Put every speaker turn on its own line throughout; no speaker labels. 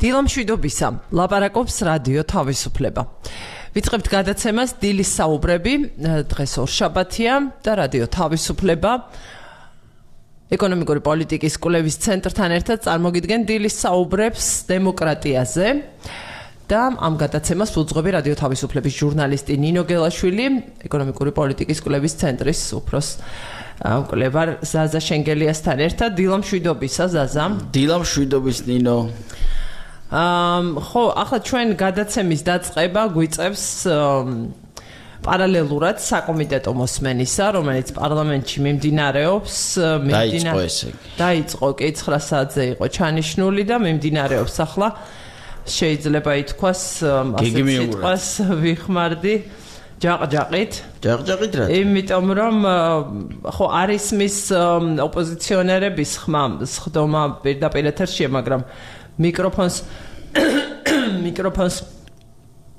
დილამშვიდობისა, ლაპარაკობს რადიო თავისუფლება. ვიწყებთ გადაცემას დილის საუბრები, დღეს ორშაბათია და რადიო თავისუფლება ეკონომიკური პოლიტიკის კვლევის ცენტრთან ერთად წარმოგიდგენ დილის საუბრებს დემოკრატიაზე და ამ გადაცემას უძღვები რადიო თავისუფლების ჟურნალისტი ნინო გელაშვილი, ეკონომიკური პოლიტიკის კვლევის ცენტრის უფროს მკვლევარ ზაზა შენგელიასთან ერთად. დილამშვიდობისა ზაზა.
დილამშვიდობის ნინო.
ხო, ახლა ჩვენ გადაცემის დაწყება გვიწევს პარალელურად საკომიტეტო მოსმენისა, რომელიც პარლამენტში მიმდინარეობს.
დაიწყო
კი 9 საათზე იყო ჩანიშნული და მიმდინარეობს ახლა. შეიძლება ითქვას ასეთ სიტყვას ვიხმარდი ჯაყჯაყით
რა?
იმიტომ რომ ხო არის მის ოპოზიციონერების ხდომა პირდაპირ ეთერშია, მაგრამ მიკროფონს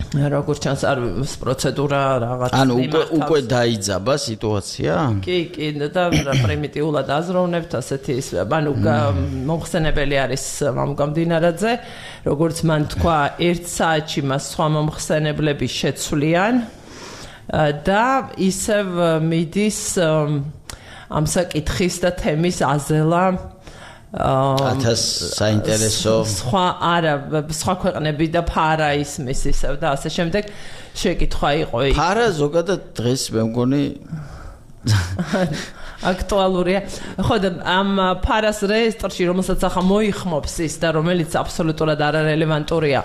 როგორც ჩანს არის პროცედურა რაღაც.
ანუ უკვე დაიძაბა სიტუაცია?
კი, და პრიმიტიულად აზროვნებთ ასეთი ანუ მომხსენებელი არის მამგამდინარაძე, როგორც მან თქვა 1 საათში მას სხვა მომხსენებლები შეცვლიან და ისევ მიდის ამ საკითხის და თემის აზელა
საინტერესო
სხვა ქვეყნები და ფარა ისმის ისევ და ასე შემდეგ შეკითხვა იყო.
ფარა ზოგადად დღეს მე მგონი
აქტუალურია. ხო და ამ ფარას რეესტრში, რომელსაც ახლა მოიხმობს ის და რომელიც აბსოლუტურად არარელევანტურია.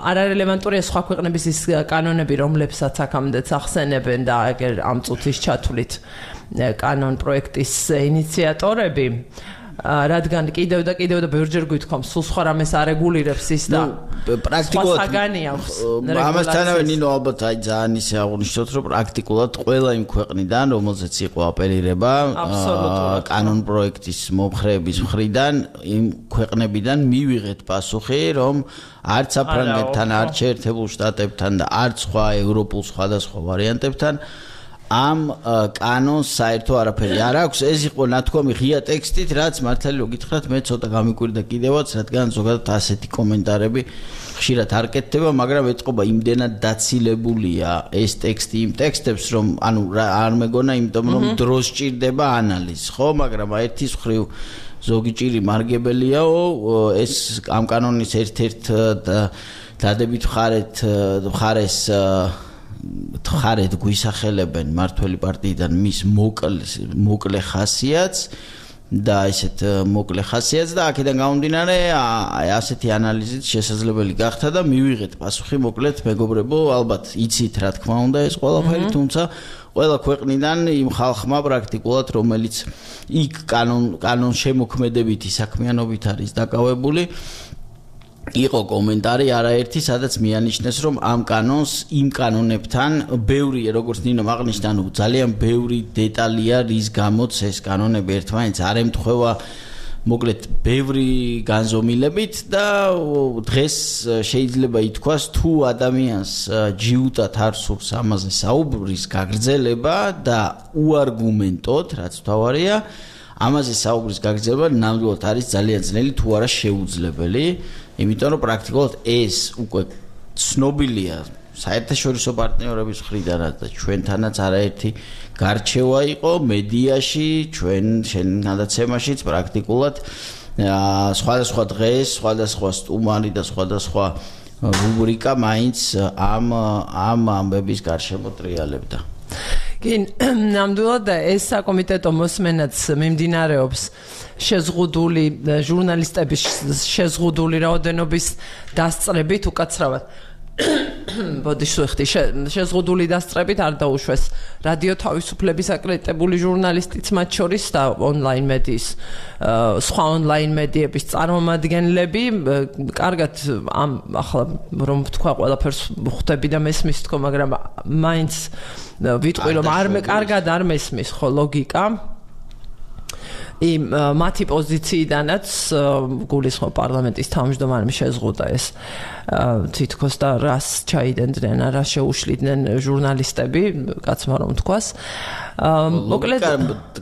არარელევანტურია სხვა ქვეყნების ის კანონები, რომლებსაც აქამდეც ახსენებენ და ეგერ ამ წუთის ჩათვლით კანონ პროექტის ინიციატორები. რადგან კიდევ და ბევრჯერ გვითხოვს, სულ სხვა რამეს არეგულირებს ის და
პრაქტიკულად
საგანი აქვს.
ამასთანავე ნინო ალბათ ძალიან ისე აღნიშნოთ, რომ პრაქტიკულად ყველა იმ ქვეყნიდან, რომელზეც იყო აპელირება კანონ პროექტის მომხრეების მხრიდან, იმ ქვეყნებიდან მივიღეთ პასუხი, რომ არც საფრანგეთთან, არც შეერთებულ შტატებთან და არც სხვა ევროპულ სხვადასხვა ვარიანტებთან ამ კანონს საერთო არაფერი არ აქვს. ეს იყო ნათქვამი ღია ტექსტით, რაც მართალი რო გითხრათ, მე ცოტა გამიკვირდა კიდევაც, რადგან ზოგადად ასეთი კომენტარები ხშირად არ კეთდება, მაგრამ ეთყობა იმდენად დაცილებულია ეს ტექსტი იმ ტექსტებს, რომ ანუ არ მეგონა, იმიტომ რომ დროს სჭირდება ანალიზი, ხო, მაგრამ ერთის მხრივ ზოგი ჭირი მარგებელიაო, ეს ამ კანონის ერთ-ერთ დადებით მხარეს თხარეთ გვისახელებენ მართველი პარტიიდან მის მოკლე ხასიათს და ესეთ მოკლე ხასიათს და აქედან გამომდინარე ასეთი ანალიზით შესაძლებელი გახდა და მივიღეთ პასუხი მოკლედ მეგობრებო, ალბათ იცით რა თქმა უნდა ეს ყველაფერი, თუმცა ყველა ქვეყნიდან იმ ხალხმა პრაქტიკულად, რომელიც იქ კანონ შემოქმედებითი საქმიანობით არის დაკავებული, იყო კომენტარი არაერთი, სადაც მიანიშნეს, რომ ამ კანონს იმ კანონებთან ბევრი, როგორც ნინო აღნიშნა, ძალიან ბევრი დეტალია, რის გამოც ეს კანონები ერთმანეთს არ ემთხვევა, მოკლედ ბევრი განზომილებით და დღეს შეიძლება ითქვას, თუ ადამიანს ჯიუტად არ სურს ამაზე საუბრის გაგრძელება და უარგუმენტოდ, რაც თავარია, ამაზე საუბრის გაგრძელება ნამდვილად არის ძალიან ძნელი, თუ არა შეუძლებელი. იმიტომ რომ პრაქტიკულად ეს უკვე ცნობილია საერთაშორისო პარტნიორების მხრიდანაც და ჩვენთანაც არაერთი გარჩევა იყო მედიაში, ჩვენ გადაცემაშიც პრაქტიკულად სხვადასხვა დღეს, სხვადასხვა სტუმარი და სხვადასხვა რუბრიკა მაინც ამ ამბების გარშემო ტრიალებდა.
კი, ნამდვილად ეს საკომიტეტო მოსმენაც მიმდინარეობს შეზღუდული ჟურნალისტების შეზღუდული რაოდენობის დასწრებით უკაცრავად. შეზღუდული დასწრებით არ დაუშვეს რადიო თავისუფლების აკრედიტებული ჟურნალისტიც მათ შორის და ონლაინ მედიის სხვა ონლაინ მედიების წარმომადგენლები. კარგად ახლა რომ ვთქვა ყველაფერს ხვდები და მესმის თქო, მაგრამ მაინც ვიტყვი რომ კარგად არ მესმის ხო ლოგიკა. მათი პოზიციიდანაც გულისხმობ პარლამენტის თავმჯდომარემ შეზღუდა ეს თითქოს და რას ჩაიდენდნენ, რას შეუშლიდნენ ჟურნალისტები, კაცმა რომ თქვას. მოკლედ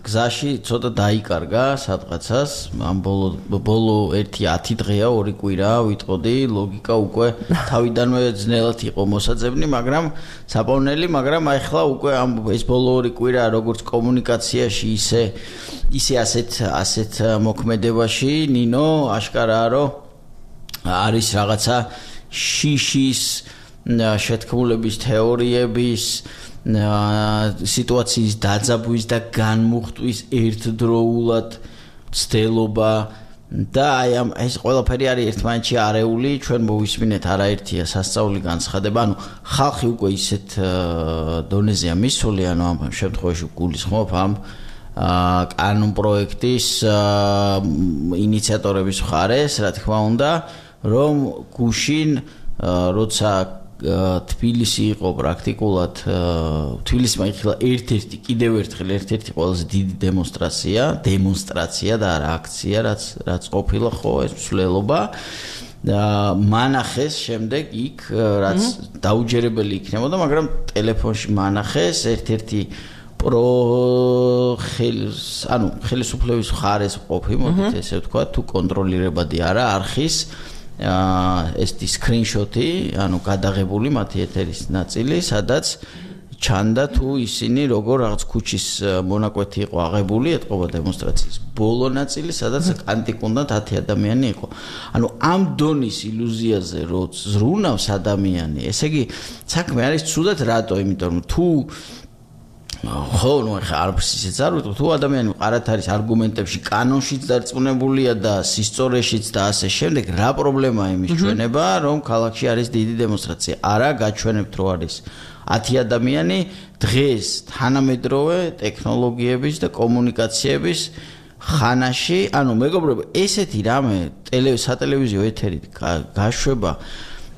გზაში ცოტა დაიკარგა სადღაცას ამ ბოლო 1-10 დღეა 2 კვირა ვიტყოდი ლოგიკა უკვე თავიდანვე ძნელად იყო მოსაძებნი მაგრამ საპოვნელი მაგრამ ახლა უკვე ამ ეს ბოლო 2 კვირა როგორც კომუნიკაციაში ისე ასეთ მოქმედებაში ნინო აშკარაა რომ არის რაღაცა შიშის შეთქმულების თეორიების სიტუაციის დაძაბვის და განმუხტვის ერთდროულად ცდელობა და აი ამ ეს ყველაფერი არის ერთმანეთში არეული ჩვენ მოვისმინეთ არაერთია სასწაული განცხადება ანუ ხალხი უკვე ისეთ დონეზეა მისული ანუ ამ შემთხვევაში გულისხმობ ამ კანონ პროექტის ინიციატორების მხარეს რა თქმა უნდა რომ გუშინ როცა თბილისი იყო პრაქტიკულად თბილისმა იხილა ერთ-ერთი კიდევ ერთხელ ერთ-ერთი ყველაზე დიდი დემონსტრაცია და არა აქცია რაც ყოფილა ხო ეს მსვლელობა მანახეს შემდეგ იქ რაც დაუჯერებელი იქნებოდა მაგრამ ტელეფონში მანახეს ერთ-ერთი ხელისუფლების მხარეს ყოფი მოდით ესე ვთქვა თუ კონტროლირებადი არა არხის ეს სკრინშოტი, ანუ გადაღებული მათი ეთერის ნაწილი, სადაც ჩანდა თუ ისინი როგორ რაღაც ქუჩის მონაკვეთი იყო აღებული, ეთყობა დემონსტრაციის ბოლო ნაწილი, სადაც კანტიკუნდათ 10 ადამიანი იყო. ანუ ამ დონის ილუზიაზე რო ზრუნავს ადამიანი, ესე იგი საქმე არის ცუდად რატო? იმიტომ რომ თუ ხო, ნუ ახლა არც ისეც არ ვიტყვი, თუ ადამიანი მყარად არის არგუმენტებში, კანონშიც დარწმუნებულია და სისწორეშიც და ასე შემდეგ, რა პრობლემაა იმის ჩვენება, რომ ქალაქში არის დიდი დემონსტრაცია? არა, გაჩვენებთ რომ არის 10 ადამიანი დღეს თანამედროვე ტექნოლოგიების და კომუნიკაციების ხანაში, ანუ მეგობრებო, ესეთი რამე სატელევიზიო ეთერით გაშვება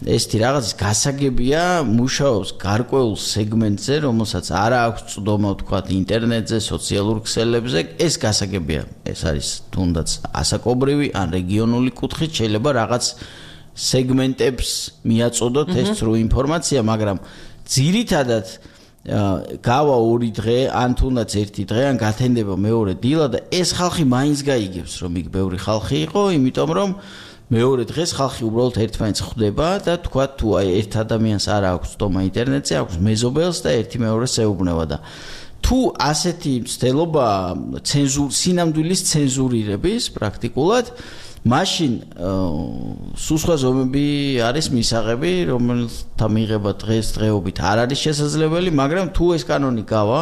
ესეთი რაღაცის გასაგებია მუშაობს გარკვეულ სეგმენტზე, რომელსაც არა აქვს წვდომა თქვათ ინტერნეტზე, სოციალურ ქსელებზე, ეს გასაგებია. ეს არის თუნდაც ასაკობრივი ან რეგიონული კუთხით შეიძლება რაღაც სეგმენტებს მიაწოდოთ ეს სრულ ინფორმაცია, მაგრამ ძირითადად გავა 2 დღე, ან თუნდაც 1 დღე, ან გათენდება მეორე დილა და ეს ხალხი მაინც გაიგებს, რომ იქ ბევრი ხალხი იყო, იმიტომ რომ მეორე დღეს ხალხი უბრალოდ ერთმანეთს ხვდება და თქვა თუ აი ერთ ადამიანს არ აქვს წვდომა ინტერნეტზე, აქვს მეზობელს და ერთი მეორეს ეუბნება და თუ ასეთი მცდელობა სინამდვილის ცენზურირების პრაქტიკულად მაშინ სულ სხვა ზომები არის მისაღები, რომელთა მიღება დღესდღეობით არ არის შესაძლებელი, მაგრამ თუ ეს კანონი გავა,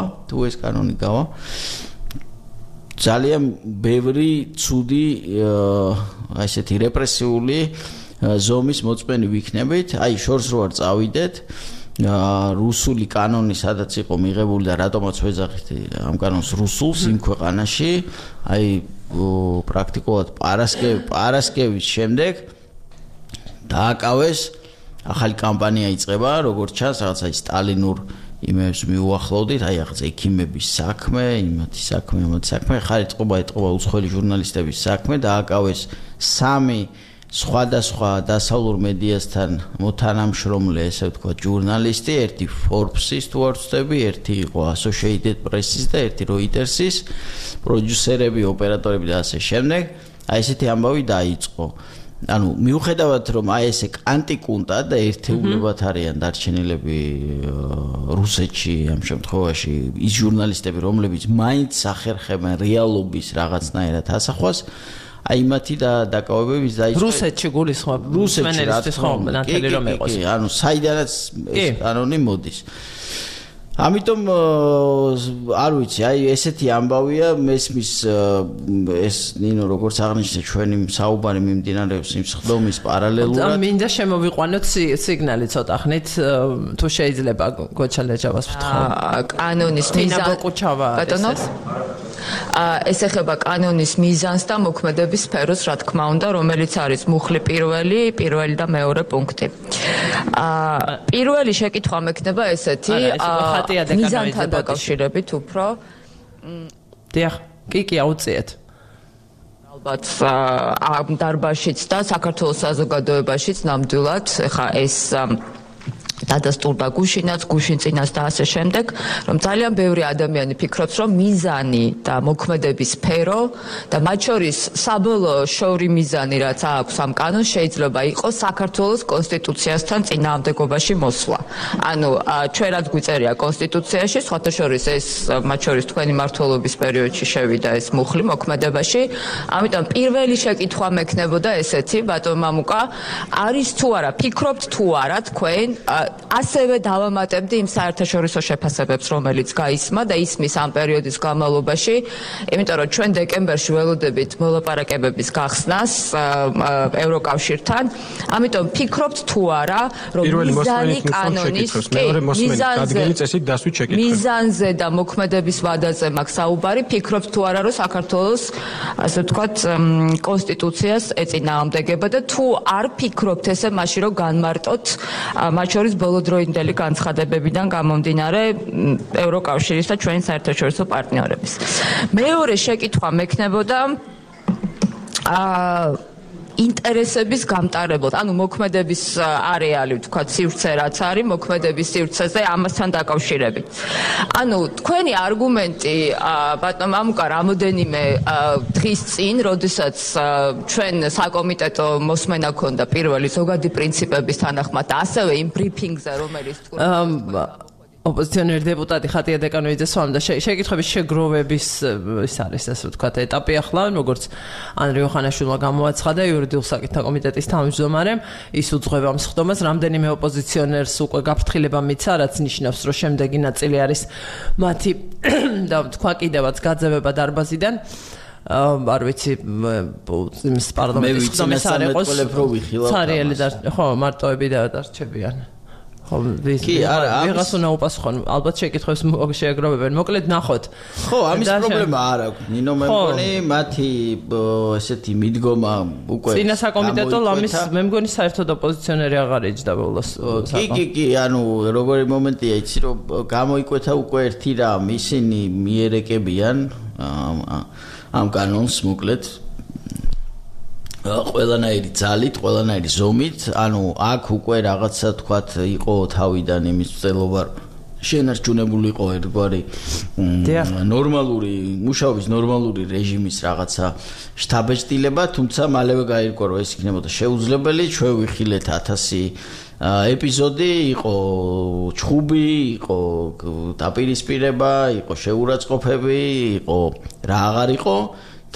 ძალიან ბევრი ცუდი ასეთი რეპრესიული ზომის მოწმენი ვიქნებით. აი შორს რო არ წავიდეთ, რუსული კანონი სადაც იყო მიღებული და რატომაც ვეძახით ამ კანონს რუსულს იმ ქვეყანაში, აი პრაქტიკულად პარასკევის შემდეგ დააკავეს ახალი კამპანია იწყება, როგორც ჩანს, რაღაც აი სტალინურ იმებს მიუახლოვდით, აი ახლა ექიმების საქმე, იმათი საქმე, ხარ ეთყობა უცხოელი ჟურნალისტების საქმე, დააკავეს 3 სხვადასხვა დასავლურ მედიასთან მოთანამშრომლე, ესე ვთქვათ, ჟურნალისტი, ერთი Forbes-ის თუ არ ვცდები, ერთი იყო Associated Press-ის და ერთი Reuters-ის, პროდიუსერები, ოპერატორები და ასე შემდეგ. აი ესეთი ამბავი დაიწყო. ანუ მიუხედავად რომ აი ესე კანტიკუნტა და ერთეულებად არიან დარჩენილები რუსეთში ამ შემთხვევაში ის ჟურნალისტები რომლებიც მაინც ახერხებენ რეალობის რაღაცნაირად ასახვას აი მათი დაკავებების დაიწყო
რუსეთში გულისხმობ რუსეთის ხო ნათელი რომ იყოს
ანუ საიდანაც ეს კანონი მოდის ამიტომ არ ვიცი, აი ესეთი ამბავია მესმის ეს ნინო როგორც აღნიშნე ჩვენი საუბარი მიმდინარეობს იმ სხდომის პარალელურად.
მინდა შემოვიყვანოთ სიგნალი ცოტა ხნით თუ შეიძლება გოჩალეჯავას ვთხოვ.
კანონის მიზანს ეს ეხება კანონის მიზანს და მოქმედების სფეროს, რა თქმა უნდა, რომელიც არის მუხლი პირველი და მეორე პუნქტი. პირველი შეკითხვა მექნება ესეთი, მიზანთან დაკავშირებით უფრო.
დიახ, კი, აუწიეთ.
ალბათ ამ დარბაზშიც და საქართველოს საზოგადოებაშიც ნამდვილად, ხა ეს დადასტურდა გუშინაც, გუშინ წინას და ასე შემდეგ, რომ ძალიან ბევრი ადამიანი ფიქრობს, რომ მიზანი და მოქმედების სფერო და მათ შორის საბოლოო შოური მიზანი, რაც აქვს ამ კანონს, შეიძლება იყოს საქართველოს კონსტიტუციასთან წინააღმდეგობაში მოსვლა. ანუ ჩვენ რაც გვიწერია კონსტიტუციაში, სხვათა შორის ეს მათ შორის თქვენი მმართველობის პერიოდში შევიდა ეს მუხლი მოქმედებაში. ამიტომ პირველი შეკითხვა მექნებოდა ესეთი, ბატონ მამუკა, არის თუ არა, ფიქრობთ თუ არა თქვენ ასევე დავამატებდი იმ საერთაშორისო შეფასებებს, რომელიც გაისმა და ისმის ამ პერიოდის განმავლობაში, იმიტომ რომ ჩვენ დეკემბერში ველოდებით მოლაპარაკებების გახსნას ევროკავშირთან. ამიტომ ფიქრობთ თუ არა, რომ მიზანი კანონის მიზანზე და მოქმედების ვადაზე მაქვს საუბარი, ფიქრობთ თუ არა, რომ საქართველოს ასე ვთქვათ კონსტიტუციას ეწინააღმდეგება და თუ არ ფიქრობთ ესე, მაშინ რომ განმარტოთ მათ შორის ბოლოდროინდელი განცხადებებიდან გამომდინარე ევროკავშირის და ჩვენი საერთაშორისო პარტნიორების. მეორე შეკითხვა მექნებოდა ინტერესების გამტარებლად, ანუ მოქმედების არეალი, ვთქვათ, სივრცე რაც არის, მოქმედების სივრცეზე ამასთან დაკავშირებით. ანუ თქვენი არგუმენტი, ბატონ მამუკა, რამოდენიმე დღის წინ, როდესაც ჩვენ საკომიტეტო მოსმენა ქონდა პირველი ზოგადი პრინციპების თანახმად, ასევე იმ ბრიფინგზე, რომელიც
ოპოზიციონერი დეპუტატი ხატია დეკანოიძე სვამდა შეკითხვების შეგროვების ის არის ასე ვთქვათ ეტაპი ახლა როგორც ანრი ოხანაშვილმა გამოაცხადა იურიდიულ საკითხთა კომიტეტის თავმჯდომარემ ის უძღვება ამ სხდომას რამდენიმე ოპოზიციონერს უკვე გაფრთხილება მიცა რაც ნიშნავს რომ შემდეგი ნაწილი არის მათი და თქვა კიდევაც გაძევება დარბაზიდან არ ვიცი იმის პარლამენტის სხდომის არ იყოს ცარიელი და ხო მარტოები და დარჩებიან ხო კი არა ვიღას უნდა უპასუხონ ალბათ შეკითხვებს შეეგროვებენ მოკლედ ნახოთ
ხო ამის პრობლემა არ აქვს ნინო მე მგონი მათი ესეთი მიდგომა უკვე
წინა საკომიტეტო ლამის მე მგონი საერთოდ ოპოზიციონერი აღარ ეჯდა ბოლოს
კი ანუ როგორი მომენტია იცი რომ გამოიკვეთა უკვე ერთი რამ ისინი მიერეკებიან ამ კანონს მოკლედ ყველანაირი ძალით, ყველანაირი ზომით, ანუ აქ უკვე რაღაცა თქვათ იყო თავიდან იმის წელობა შენარჩუნებული იყო ერთგვარი ნორმალური მუშაობის ნორმალური რეჟიმის რაღაცა შთაბეჭდილება, თუმცა მალევე გაირკვა რომ ეს იქნებოდა შეუძლებელი, ჩვენ ვიხილეთ 1000 ეპიზოდი, იყო ჩხუბი, იყო დაპირისპირება, იყო შეურაცხყოფები, იყო რა აღარ იყო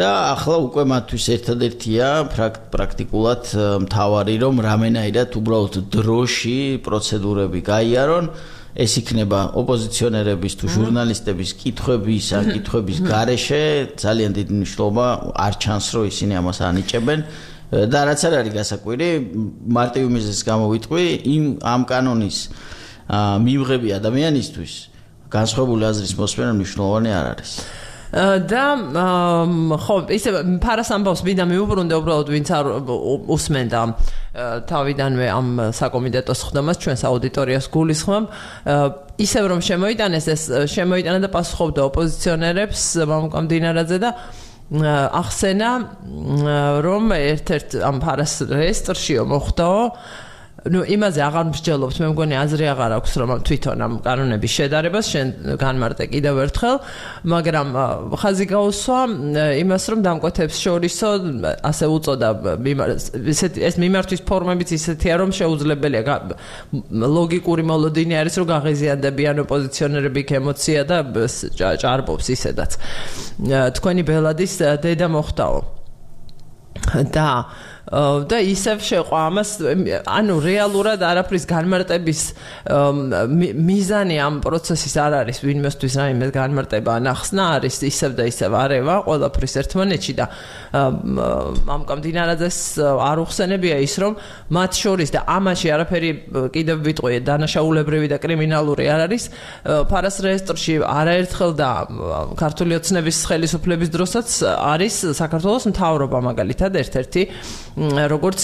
და ახლა უკვე მათთვის ერთადერთია პრაქტიკულად მთავარი რომ რამენაირად უბრალოდ დროში პროცედურები გაიარონ ეს იქნება ოპოზიციონერების თუ ჟურნალისტების კითხვების ან კითხვების გარეშე ძალიან დიდი მნიშვნელობა არ ჩანს რომ ისინი ამას ანიჭებენ და რაც არ არის გასაკვირი მარტივი მიზეზის გამო ვიტყვი ამ კანონის მივღები ადამიანისთვის განსხვავებული აზრის მოსმენა მნიშვნელოვანი არ არის
და ხო ისე ფარას ამბავს მინდა მიუბრუნდე უბრალოდ ვინც არ უსმენდა თავიდანვე ამ საკომიტეტო სხდომას ჩვენს აუდიტორიას გულისხმობ ისევ რომ შემოიტანეს ეს შემოიტანა და პასუხობდა ოპოზიციონერებს მამუკა მდინარაძე და ახსენა რომ ერთ-ერთ ამ ფარას რეესტრშიო მოხდაო ну იმაზე აღარ მსჯელობთ მე მგონი აზრი აღარ აქვს რომ თვითონ ამ კანონების შედარებას შენ განმარტე კიდევ ერთხელ მაგრამ ხაზი გაუსვა იმას რომ დამკვეთებს შორისო ასე უწოდა ეს მიმართვის ფორმებიც ისეთია რომ შეუძლებელია ლოგიკური მოლოდინი არის რომ გაღიზიანდებიან ოპოზიციონერები იქ ემოცია და ჭარბობს ისედაც თქვენი ბელადის დედა მოხდაო და ისევ შეყვა ამას ანუ რეალურად არაფრის განმარტების მიზანი ამ პროცესის არ არის ვინმესთვის რაიმე განმარტება ნახსნა არის ისევ და ისევ არევა ყველაფრის ერთმანეთში და მამუკა მდინარაძეს არ უხსენებია ის რომ მათ შორის და ამაში არაფერი კიდევ ვიტყვი დანაშაულებრივი და კრიმინალური არ არის ფარას რეესტრში არაერთხელ და ქართული ოცნების ხელისუფლების დროსაც არის საქართველოს მთავრობა მაგალითად ერთ-ერთი როგორც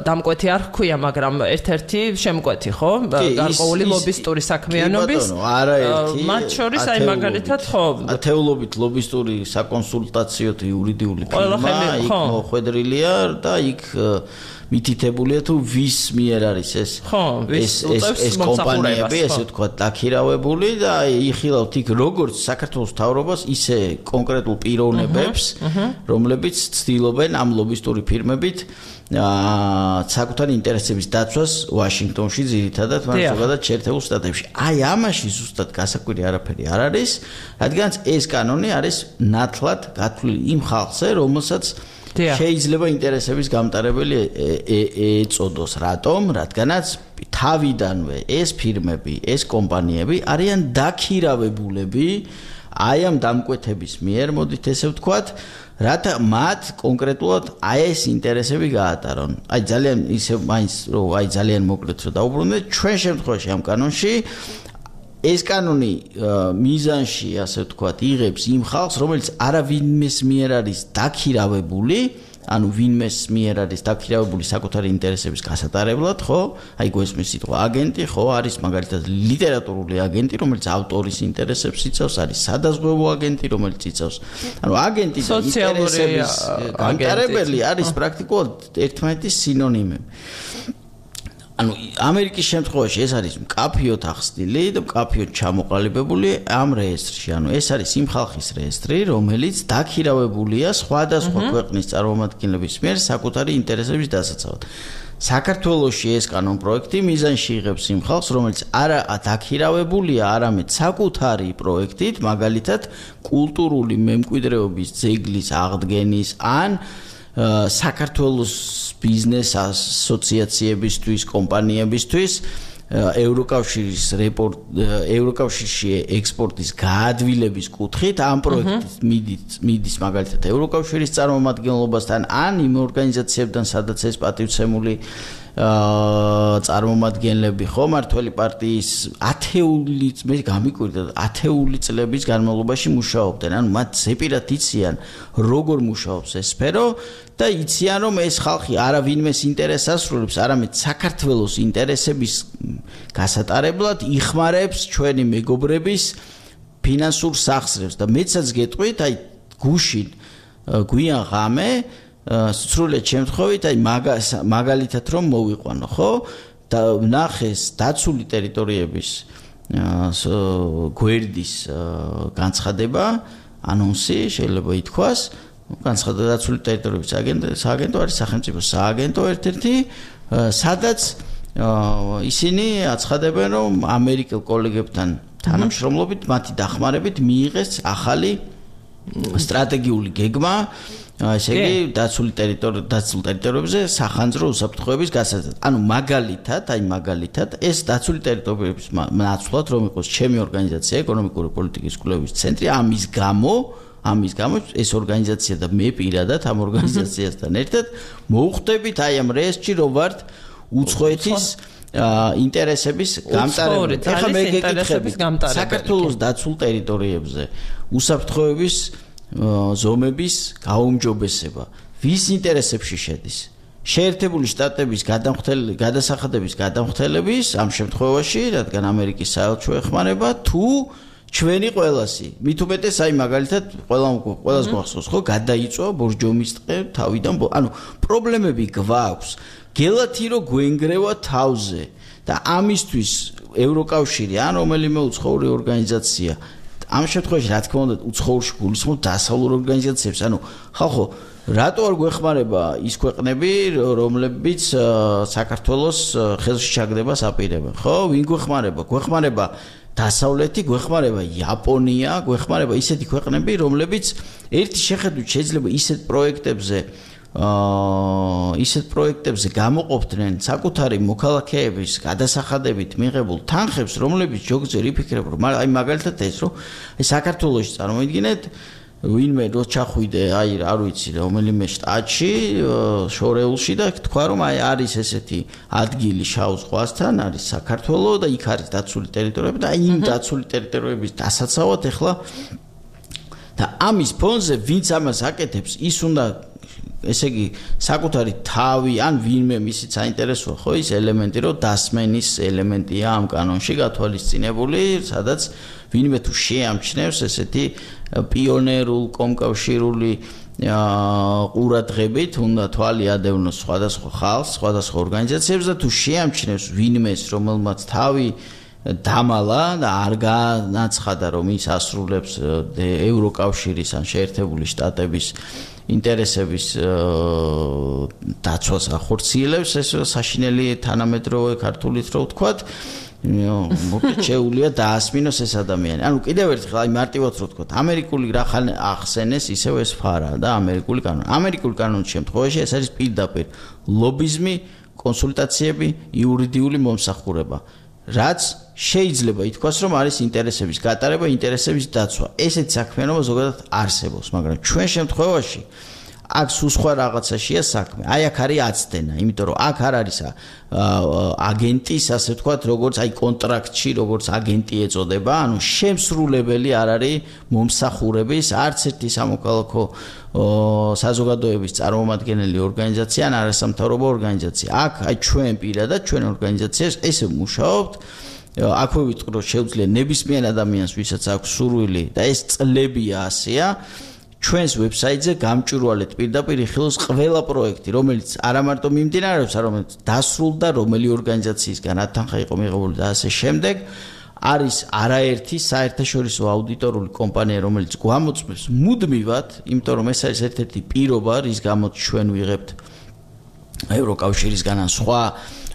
დამკვეთი არ ხქვია, მაგრამ ერთ-ერთი შემკვეთი, ხო? გარკვეული ლობისტური საქმიანობის.
არაერთი.
მათ შორის აი მაგალითად ხო,
ათეულობით ლობისტური საკონსულტაციო და იურიდიული ფირმა იქ მოხვედრილია და იქ მითითებულია თუ ვის მიერ არის ეს ეს კომპანიები, ესე ვთქვათ, დაქირავებული და იხილავთ იქ როგორც საქართველოს მთავრობას, ისე კონკრეტულ პიროვნებებს, რომლებიც ცდილობენ ამ ლობისტური ფირმებით საკუთარი ინტერესების დაცვას ვაშინგტონში ძირითადად, მაგრამ ზოგადად შეერთებულ შტატებში. აი ამაში ზუსტად გასაკვირი არაფერი არ არის, რადგანაც ეს კანონი არის ნათლად გათვლილი იმ ხალხზე, რომელსაც შეიძლება ინტერესების გამტარებელი ეწოდოს. რატომ? რადგანაც თავიდანვე ეს ფირმები, ეს კომპანიები არიან დაქირავებულები აი ამ დამკვეთების მიერ, მოდით ესე ვთქვათ, რათა მათ კონკრეტულად აი ეს ინტერესები გაატარონ. აი ძალიან ისე მაინც რომ აი ძალიან მოკლედ რომ დაუბრუნდეთ, ჩვენ შემთხვევაში ამ კანონში ეს კანონი მიზანში, ასე ვთქვათ, იღებს იმ ხალხს, რომელიც არავინმეს მიერ არის დაქირავებული, ანუ ვინმეს მიერ არის დაქირავებული საკუთარი ინტერესების გასატარებლად, ხო? აი გვესმის სიტყვა აგენტი, ხო, არის მაგალითად ლიტერატურული აგენტი, რომელიც ავტორის ინტერესებს იცავს, არის სადაზღვევო აგენტი, რომელიც იცავს. ანუ აგენტი და ინტერესების გამტარებელი არის პრაქტიკულად ერთმანეთის სინონიმები. ანუ ამერიკის შემთხვევაში ეს არის მკაფიოდ ახსნილი და მკაფიოდ ჩამოყალიბებული ამ რეესტრში. ანუ ეს არის იმ ხალხის რეესტრი, რომელიც დაქირავებულია სხვადასხვა ქვეყნის წარმომადგენლების მიერ საკუთარი ინტერესების დასაცავად. საქართველოში ეს კანონპროექტი მიზანში იღებს იმ ხალხს, რომელიც არა დაქირავებულია, არამედ საკუთარი პროექტით, მაგალითად, კულტურული მემკვიდრეობის ძეგლის აღდგენის ან საქართველოს ბიზნეს ასოციაციებისთვის, კომპანიებისთვის ევროკავშირში ექსპორტის გაადვილების კუთხით ამ პროექტის მიდის მაგალითად ევროკავშირის წარმომადგენლობასთან ან იმ ორგანიზაციებთან, სადაც ეს პატივცემული წარმომადგენლები ხო მართველი პარტიის მე გამიკვირდა 10 წლების განმავლობაში მუშაობდნენ. ანუ მათ ზეპირად იციან როგორ მუშაობს ეს სფერო და იციან რომ ეს ხალხი არავინმეს ინტერესს ასრულებს, არამედ საქართველოს ინტერესების გასატარებლად იხმარებს ჩვენი მეგობრების ფინანსურ სახსრებს და მეცაც გეტყვით, აი გუშინ გვიან ღამე სრულად შემთხვევით, აი მაგალითად რომ მოვიყვანო, ხო? და ნახეს დაცული ტერიტორიების გვერდის განცხადება, ანონსი, შეიძლება ითქვას, განცხადება დაცული ტერიტორიების სააგენტო არის სახელმწიფო სააგენტო ერთ-ერთი, სადაც ისინი აცხადებენ, რომ ამერიკელ კოლეგებთან თანამშრომლობით, მათი დახმარებით მიიღეს ახალი სტრატეგიული გეგმა, ესე იგი დაცულ ტერიტორიებზე სახანძრო უსაფრთხოების გასაზრდად. ანუ მაგალითად ეს დაცული ტერიტორიების ნაცვლად რომ იყოს ჩემი ორგანიზაცია ეკონომიკური პოლიტიკის კვლევის ცენტრი, ამის გამო ეს ორგანიზაცია და მე პირადად ამ ორგანიზაციასთან ერთად მოვხვდებით აი ამ რეესტრში რომ ვართ უცხოეთის ინტერესების გამტარებელი. ეხლა მე გეკითხები საქართველოს დაცულ ტერიტორიებზე უსაფრთხოების ზომების გაუმჯობესება ვის ინტერესებში შედის? შეერთებული შტატების გადასახადების გადამხდელების ამ შემთხვევაში, რადგან ამერიკის საელჩო ეხმარება თუ ჩვენი ყველასი. მით უმეტეს აი მაგალითად ყველას გვახსოვს ხო გადაიწვა ბორჯომის ტყე თავიდან, ანუ პრობლემები გვაქვს. გელათი რომ გვენგრევა თავზე და ამისთვის ევროკავშირი ან რომელიმე უცხოური ორგანიზაცია ამ შემთხვევაში რა თქმა უნდა უცხოურში გულისხმობ დასავლურ ორგანიზაციებს. ანუ ხალხო, რატო არ გვეხმარება ის ქვეყნები, რომლებიც საქართველოს ხელში ჩაგდებას აპირებენ? ხო, ვინ გვეხმარება? გვეხმარება დასავლეთი, გვეხმარება იაპონია, გვეხმარება ისეთი ქვეყნები, რომლებიც ერთი შეხედვით შეიძლება ისეთ პროექტებზე გამოყოფდნენ საკუთარი მოქალაქეების გადასახადებით მიღებულ თანხებს, რომლებიც ჯოგზერ იფიქრებენ, რომ აი მაგალითად ეს რომ საქართველოში წარმოიდგინეთ ვინმე რო ჩახვიდე აი არ ვიცი რომელიმე შტატში შორეულში და თქვა რომ აი არის ესეთი ადგილი შავ ზღვასთან, არის საქართველო და იქ არის დაცული ტერიტორიები და აი იმ დაცული ტერიტორიების დასაცავად ახლა და ამის ფონზე ვინც ამას აკეთებს, ის უნდა ესე იგი საკუთარი თავი ან ვინმე მისიც საინტერესოა ხო ის ელემენტი რომ დასმენის ელემენტია ამ კანონში გათვალისწინებული სადაც ვინმე თუ შეამჩნევს ესეთი პიონერულ კომკავშირული ყურადღებით უნდა თვალი ადევნოს სხვადასხვა ხალხს სხვადასხვა ორგანიზაციებს და თუ შეამჩნევს ვინმეს რომელმაც თავი დამალა და არ განაცხადა რომ ის ასრულებს ევროკავშირის ან შეერთებული შტატების ინტერესების დაცვას ახორციელებს ეს საშინელი თანამედროვე ქართულით რო ვთქვათ მოკლედ შეუძლია დაასმინოს ეს ადამიანი. ანუ კიდევ ერთხელ აი მარტივად რო ვთქვათ, ამერიკული რა ხან ახსენეს ისევ ეს ფარა და ამერიკული კანონი. ამერიკული კანონის შემთხვევაში ეს არის პირდაპირ ლობიზმი, კონსულტაციები, იურიდიული მომსახურება. რაც შეიძლება ითქვას რომ არის ინტერესების გატარება, ინტერესების დაცვა. ესეთი საქმიანობა ზოგადად არსებობს, მაგრამ ჩვენ შემთხვევაში აქ სულ სხვა რაღაცაშია საქმე. აი აქ არის აცდენა, იმიტომ რომ აქ არ არის აგენტის, ასე ვთქვათ, როგორც აი კონტრაქტში, როგორც აგენტი ეწოდება, ანუ შემსრულებელი არ არის მომსახურების არც ერთი სამოქალაქო საზოგადოების წარმომადგენელი ორგანიზაცია ან არასამთავრობო ორგანიზაცია. აქ აი ჩვენ პირადად ჩვენ ორგანიზაციას ესე ვმუშაობთ აქვე ვიტყვი რომ შეუძლია ნებისმიერ ადამიანს ვისაც აქვს სურვილი და ეს წლებია ასეა ჩვენს ვებსაიტზე გამჭვირვალეთ პირდაპირ იხილოს ყველა პროექტი რომელიც არა მარტო მიმდინარეობს არამედ დასრულდა რომელი ორგანიზაციისგან ათანხა იყო მიღებული და ასე შემდეგ არის არაერთი საერთაშორისო აუდიტორული კომპანია რომელიც გვამოწმებს მუდმივად იმიტომ რომ ეს არის ერთ-ერთი პირობა რის გამოც ჩვენ ვიღებთ ევროკავშირისგან ან სხვა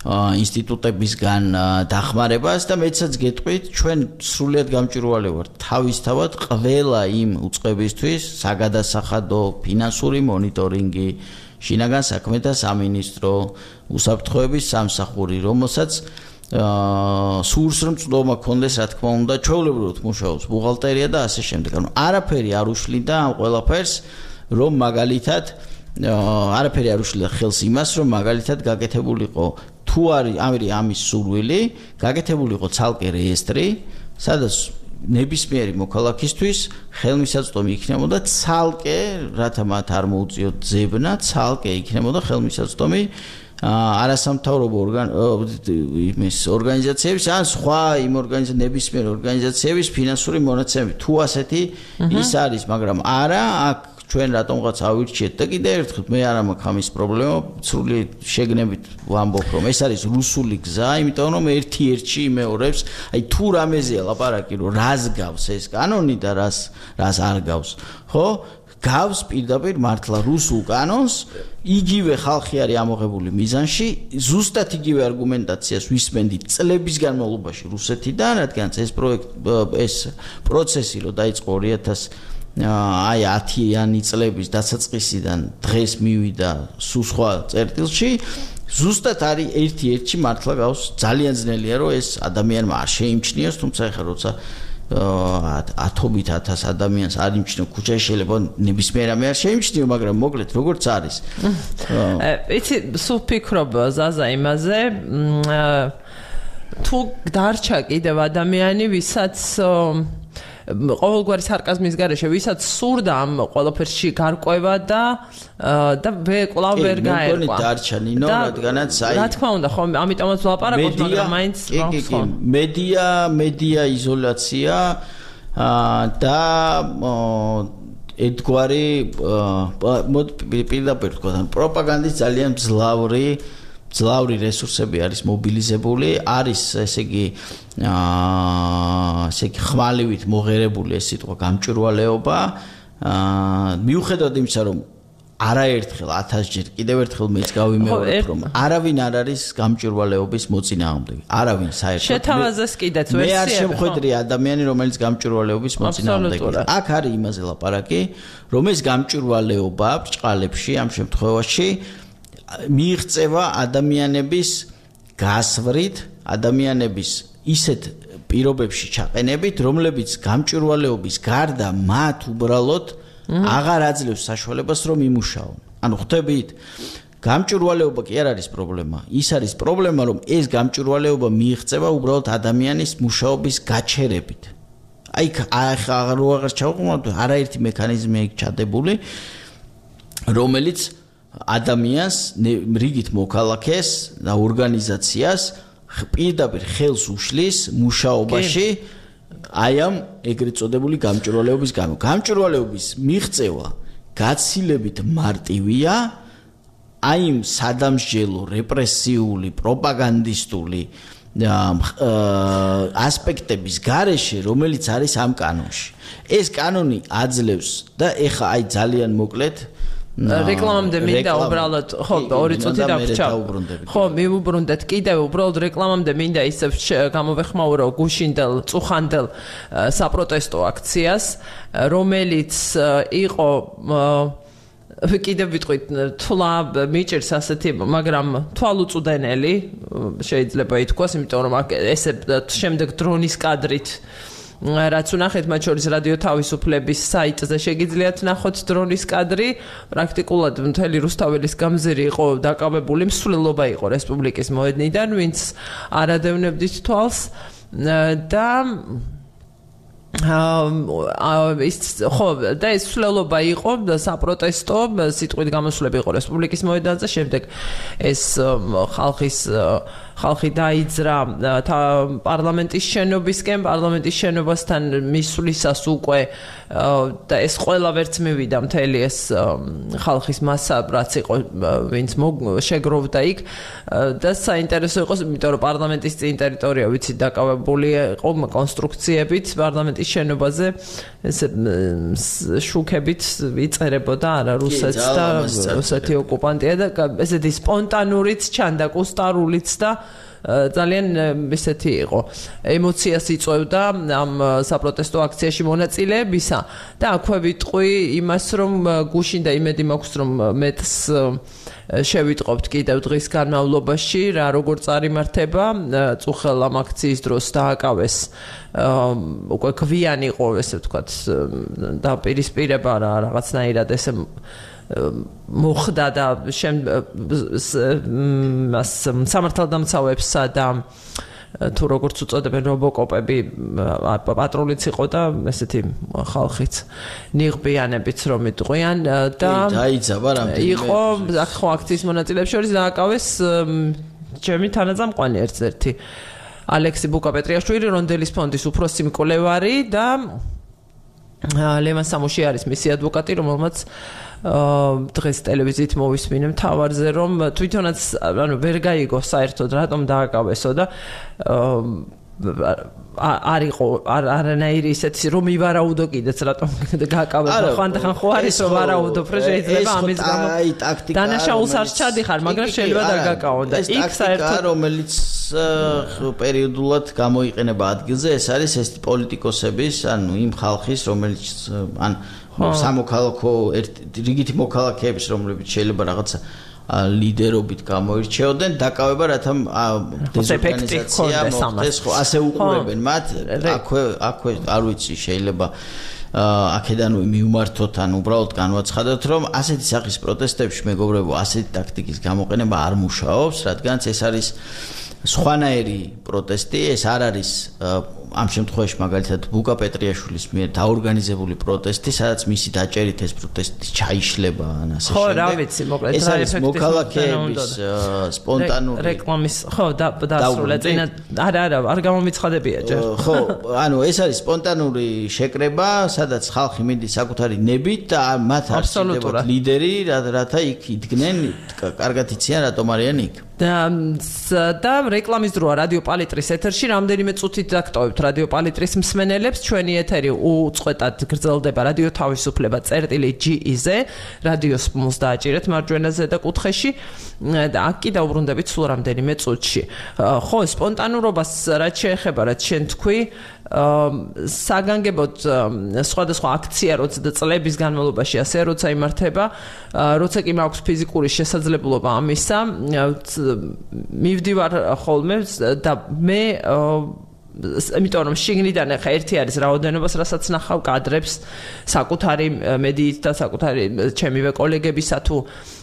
ინსტიტუტებისგან დახმარებას და მეცაც გეტყვით ჩვენ სრულიად გამჭვირვალე ვართ თავისთავად ყველა იმ უწყებისთვის საგადასახადო ფინანსური მონიტორინგი შინაგან საქმეთა სამინისტრო უსაფრთხოების სამსახური რომელსაც სურს რომ წვდომა ქონდეს რა თქმა უნდა ჩვეულებრივად მუშაობს ბუღალტერია და ასე შემდეგ ანუ არაფერი არ უშლიდა ამ ყველაფერს რომ მაგალითად არაფერი არ უშლიდა ხელს იმას რომ მაგალითად გაკეთებულიყო თუ არის ამის სურვილი გაკეთებულიყო ცალკე რეესტრი სადაც ნებისმიერი მოქალაქისთვის ხელმისაწვდომი იქნებოდა ცალკე რათა მათ არ მოუწიოთ ძებნა ცალკე იქნებოდა ხელმისაწვდომი არასამთავრობო ორგანიზაციების ან სხვა იმ ნებისმიერ ორგანიზაციების ფინანსური მონაცემები თუ ასეთი ის არის მაგრამ არა აქ ჩვენ რატომღაც ავირჩიეთ და კიდევ ერთხელ მე არ მაქვს ამის პრობლემა სრული შეგნებით ვამბობ რომ ეს არის რუსული გზა იმიტომ რომ ერთ-ერთი იმეორებს აი თუ რამეზეა ლაპარაკი რომ რას გავს ეს კანონი და რას არ გავს ხო გავს პირდაპირ მართლა რუსულ კანონს იგივე ხალხი არის ამოღებული მიზანში ზუსტად იგივე არგუმენტაციას ვისმენდით წლების განმავლობაში რუსეთიდან რადგან ეს პროცესი რომ დაიწყო 2000 10-იანი წლების დასაწყისიდან დღეს მივიდა სულ სხვა წერტილში ზუსტად არის ერთ-ერთი მართლა გავს ძალიან ძნელია რომ ეს ადამიანმა არ შეიმჩნიოს თუმცა ეხლა როცა 10,000 ადამიანს არ იმჩნიო ქუჩაში შეიძლება ნებისმიერ რამე არ შეიმჩნიო მაგრამ მოკლედ როგორც არის
იცი სულ ფიქრობ ზაზა იმაზე თუ დარჩა კიდევ ადამიანი ვისაც ყოველგვარი სარკაზმის გარეშე ვისაც სურდა ამ ყველაფერში გარკვევა და კვლავ ვერ გაერკვა.
მეგონი დარჩა ნინო, რადგანაც აი
რა თქმა უნდა, ხო, ამიტომაც ვლაპარაკობ, მაგრამ მაინც
მედია იზოლაცია და ერთგვარი პირდაპირ თქვა, პროპაგანდის ძალიან ძლავრი რესურსები არის მობილიზებული, არის ესე იგი ხმალივით მოღერებული ეს სიტყვა გამჭვირვალეობა, მიუხედავად იმისა, რომ არაერთხელ 1000-ჯერ კიდევ ერთხელ მეც გავიმეორებ, რომ არავინ არ არის გამჭვირვალეობის მოწინააღმდეგე. არავინ საერთოდ.
შეთავაზეს კიდეც ვერსიები.
მე არ შემხედრი ადამიანი, რომელიც გამჭვირვალეობის მოწინააღმდეგეა. აქ არის იმაზე ლაპარაკი, რომ ეს გამჭვირვალეობა ბრჭყალებში ამ შემთხვევაში მიიღწევა ადამიანების გასვრით, ადამიანების ისეთ პირობებში ჩაყენებით, რომლებიც გამჭვირვალეობის გარდა მათ უბრალოდ აღარ აძლევს საშუალებას რომ იმუშაონ. ანუ ხვდებით, გამჭვირვალეობა კი არ არის პრობლემა. ის არის პრობლემა, რომ ეს გამჭვირვალეობა მიიღწევა უბრალოდ ადამიანის მუშაობის გაჩერებით. აი აღარ ჩავყმოთ, არაერთი მექანიზმი იქ ჩადებული, რომელიც ადამიანს, რიგით მოქალაქეს და ორგანიზაციას პირდაპირ ხელს უშლის მუშაობაში აი ამ ეგრეთ წოდებული გამჭვირვალეობის გამო. გამჭვირვალეობის მიღწევა გაცილებით მარტივია აი იმ სადამსჯელო, რეპრესიული, პროპაგანდისტული ასპექტების გარეშე, რომელიც არის ამ კანონში. ეს კანონი აძლევს და ეხა აი ძალიან მოკლედ
რეკლამამდე მინდა უბრალოდ ხო 2 წუთი დაგვრჩა. ხო, მივუბრუნდეთ კიდევ უბრალოდ რეკლამამდე მინდა ისე გამოვეხმაურო გუშინდელ წუხანდელ საპროტესტო აქციას, რომელიც იყო კიდევ ვიტყვით თვლა მიჭირს ასეთი, მაგრამ თვალუწვდენელი შეიძლება ითქვას, იმიტომ რომ ესე შემდეგ დრონის კადრით რაც უნახეთ მათ შორის რადიო თავისუფლების საიტზე შეგიძლიათ ნახოთ დრონის კადრი პრაქტიკულად მთელი რუსთაველის გამზირი იყო დაკავებული მსვლელობა იყო რესპუბლიკის მოედნიდან ვინც არადევნებდით თვალს და ხო და ეს მსვლელობა იყო საპროტესტო სიტყვით გამოსვლები იყო რესპუბლიკის მოედანზე შემდეგ ეს ხალხი დაიძრა პარლამენტის შენობისკენ პარლამენტის შენობასთან მისვლისას უკვე და ეს ყველა ვერც მივიდა მთელი ეს ხალხის მასა რაც იყო ვინც შეგროვდა იქ და საინტერესო იყო იმიტომ რომ პარლამენტის წინ ტერიტორია ვიცით დაკავებული იყო კონსტრუქციებით პარლამენტის შენობაზე ესე შუქებით იწერებოდა არა რუსეთს და რუსეთი ოკუპანტია და ესეთი სპონტანურიც ჩანდა კუსტარულიც და ძალიან ისეთი იყო ემოციას იწვევდა ამ საპროტესტო აქციაში მონაწილეებისა და აქვე ვიტყვი იმას რომ გუშინ და იმედი მაქვს რომ მეტს შევიტყობთ კიდევ დღის განმავლობაში რა როგორ წარიმართება წუხელ ამ აქციის დროს დააკავეს უკვე გვიანი იყო ესე ვთქვათ დაპირისპირება რა რაღაცნაირად ესე მოხდა და სამართალდამცავებსა და თუ როგორც უწოდებენ რობოკოპები პატრულიც იყო და ესეთი ხალხიც ნიღბიანებიც რომ იტყვიან და
დაიძაბა რამდენი
იყო ხო აქციის მონაწილეებს შორის დააკავეს ჩემი თანაძამყვანი ერთ-ერთი ალექსი ბუკაპეტრიაშვილი რონდელის ფონდის უფროსი მკვლევარი და ლევან სამუშიარის მისი ადვოკატი რომელმაც დღეს ტელევიზიით მოვისმინე მთავარზე რომ თვითონაც ანუ ვერ გაიგო საერთოდ რატომ დააკავესო და არისო არანაირი ისეთი რომ ივარაუდო კიდეც რატომ გააკავებო ხანდახან ხო არის რომ ვარაუდო რომ შეიძლება ამის გამო დანაშაულს არ ჩადიხარ მაგრამ შეიძლება დაგაკავო და იქ საერთოდ
რომელიც პერიოდულად გამოიყენება ადგილზე ეს არის ეს პოლიტიკოსების ანუ იმ ხალხის რომელიც ან სამოქალაქო რიგითი მოქალაქეების რომლებიც შეიძლება რაღაცა ლიდერობით გამოირჩეოდნენ დაკავება რათა დეზორგანიზაცია მოხდეს ხო ასე უყურებენ მათ აქვე არ ვიცი შეიძლება აქედანვე მივმართოთ ან უბრალოდ განვაცხადოთ რომ ასეთი სახის პროტესტებში მეგობრებო ასეთი ტაქტიკის გამოყენება არ მუშაობს რადგანაც ეს არის სხვანაირი პროტესტი ეს არ არის ამ შემთხვევაში მაგალითად ბუკა პეტრიაშვილის მიერ დაორგანიზებული პროტესტი, სადაც მისი დაჭერით ეს პროტესტი ჩაიშლება ან ასე
შემდეგ. ხო, რა ვიცი, მოკლედ
ეს არის მოქალაქეების სპონტანური
რეკლამის, ხო, დასრულდა წინა არ გამომიცხადებია ჯერ.
ხო, ანუ ეს არის სპონტანური შეკრება, სადაც ხალხი მიდის საკუთარი ნებით და მათ არ შეიძლება ლიდერი, რათა იქ იდგნენ, კარგად იციან რატომ არიან იქ.
და რეკლამის დროა რადიო პალიტრის ეთერში რამდენიმე წუთით დაგტოვებთ რადიო პალიტრის მსმენელებს ჩვენი ეთერი უწყვეტად გრძელდება რადიო თავისუფლება წერტილი.ge-ზე რადიოს მოს დააჭირეთ მარჯვენაზე და კუთხეში და აქ კი დაუბრუნდებით სულ რამდენიმე წუთში ხო სპონტანურობას რაც შეეხება რაც შენ თქვი საგანგებოდ სხვადასხვა აქცია როცა წლების განმავლობაში ასე როცა იმართება როცა კი მაქვს ფიზიკური შესაძლებლობა ამისა მივდივარ ხოლმე და მე იმიტომ რომ შიგნიდან ახლა ერთი არის რაოდენობას, რასაც ნახავ კადრებს, საკუთარი მედიით და საკუთარი ჩემივე კოლეგებისა თუ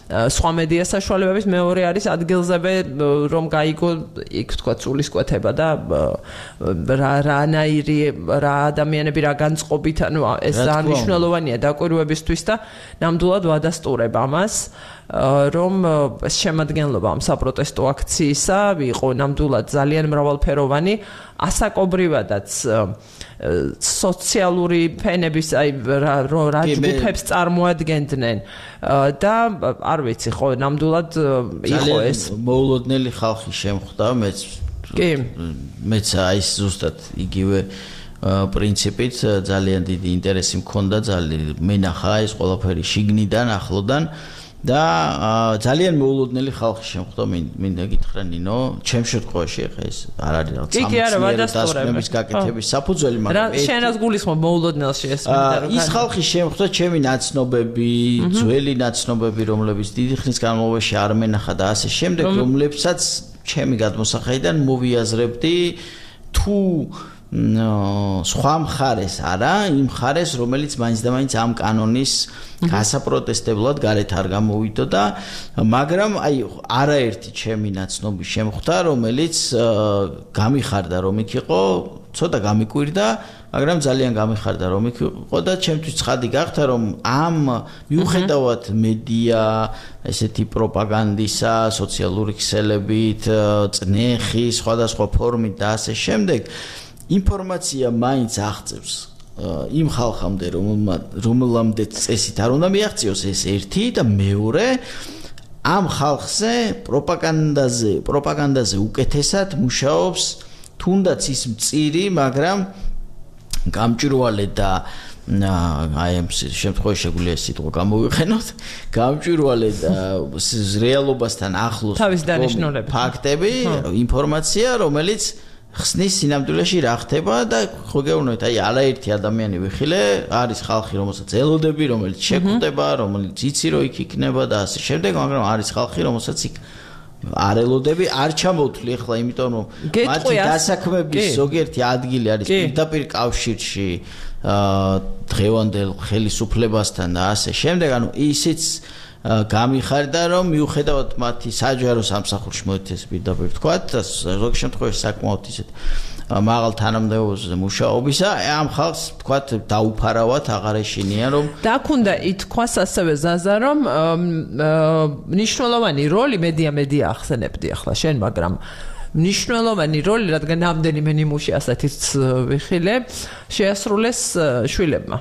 სხვა მედია საშუალებების, მეორე არის ადგილზევე რომ გაიგო იქ თქვა სულისკვეთება და რა ადამიანები რა განწყობით, ანუ ეს ძალიან მნიშვნელოვანია დაკვირვებისთვის და ნამდვილად ვადასტურებ ამას რომ შემადგენლობა ამ საპროტესტო აქციისა იყო ნამდვილად ძალიან მრავალფეროვანი, ასაკობრივადაც სოციალური ფენების რა ჯგუფებს წარმოადგენდნენ და არ ვიცი ხო ნამდვილად იყო ეს
მოულოდნელი ხალხი შემხვდა მეც აი ზუსტად იგივე პრინციპით ძალიან დიდი ინტერესი მქონდა მენახა ეს ყველაფერი შიგნიდან ახლოდან და ძალიან მოულოდნელი ხალხი შემხვდა მინდა გითხრა ნინო ჩემ შემთხვევაში ხა ეს არ არის რაღაც სამწუხაროების გაკეთების საფუძველი
მაგრამ შენ რას გულისხმობ მოულოდნელში ეს მინდა რომ
ის ხალხი შემხვდა ჩემი ნაცნობები ძველი ნაცნობები რომლებიც დიდი ხნის განმავლობაში არ მენახა და ასე შემდეგ რომლებსაც ჩემი გადმოსახედიდან მოვიაზრებდი თუ სხვა მხარეს არა იმ მხარეს რომელიც მაინც და მაინც ამ კანონის გასაპროტესტებლად გარეთ არ გამოვიდო და მაგრამ აი არაერთი ჩემი ნაცნობი შემხვდა რომელიც გამიხარდა რომ იქ იყო ცოტა გამიკვირდა მაგრამ ძალიან გამიხარდა რომ იქ იყო და ჩემთვის ცხადი გახდა რომ ამ მიუხედავად მედია ესეთი პროპაგანდისა სოციალური ქსელებით წნეხი სხვადასხვა ფორმით და ასე შემდეგ ინფორმაცია მაინც აღწევს იმ ხალხამდე რომელამდეც წესით არ უნდა მიაღწიოს ეს ერთი და მეორე ამ ხალხზე პროპაგანდაზე უკეთესად მუშაობს თუნდაც ის მწირი მაგრამ გამჭვირვალე და აი ამ შემთხვევაში შეგვიძლია სიტყვა გამოვიყენოთ გამჭვირვალე და რეალობასთან ახლოს ფაქტები ინფორმაცია რომელიც ხსნის სინამდვილეში რა ხდება და ხო გეუბნებით აი არაერთი ადამიანი ვიხილე არის ხალხი რომელსაც ელოდები რომელიც შეგვხვდება რომელიც იცი რომ იქ იქნება და ასე შემდეგ მაგრამ არის ხალხი რომელსაც იქ არ ელოდები არ ჩამოვთვლი ახლა იმიტომ რომ მათი დასაქმების ზოგიერთი ადგილი არის პირდაპირ კავშირში დღევანდელ ხელისუფლებასთან და ასე შემდეგ ანუ ისიც გამიხარდა რომ მიუხედავად მათი საჯარო სამსახურში მოეთეს პირდაპირ თქვათ და ზოგ შემთხვევაში საკმაოდ ისეთ მაღალ თანამდებობაზე მუშაობისა ამ ხალხს თქვათ დაუფარავად აღარ ეშინიან რომ
დაქუნდა ითქვას ასევე ზაზა რომ მნიშვნელოვანი როლი მედია ახსენებდი ახლა შენ მაგრამ მნიშვნელოვანი როლი რადგან ამდენიმე ნიმუში ასეთიც ვიხილე შეასრულეს შვილებმა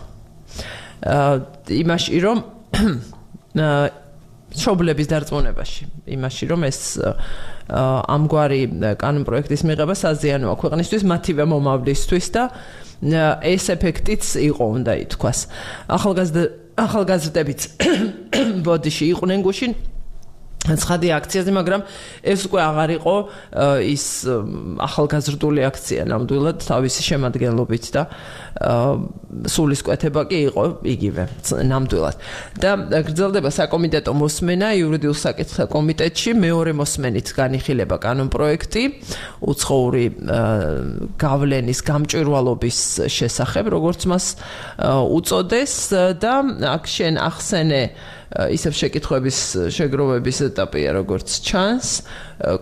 იმაში რომ შობლების დარწმუნებაში იმაში რომ ეს ამგვარი კანონპროექტის მიღება საზიანოა ქვეყნისთვის მათივე მომავლისთვის და ეს ეფექტიც იყო უნდა ითქვას ახალგაზრდებიც ბოდიში იყვნენ გუშინ ცხადი აქციაზე მაგრამ ეს უკვე აღარ იყო ის ახალგაზრდული აქცია ნამდვილად თავისი შემადგენლობით და სულისკვეთება კი იყო იგივე ნამდვილად და გრძელდება საკომიტეტო მოსმენა იურიდიულ საკითხთა კომიტეტში მეორე მოსმენით განიხილება კანონპროექტი უცხოური გავლენის გამჭვირვალობის შესახებ როგორც მას უწოდეს და აქ შენ ახსენე ისევ შეკითხვების შეგროვების ეტაპია როგორც ჩანს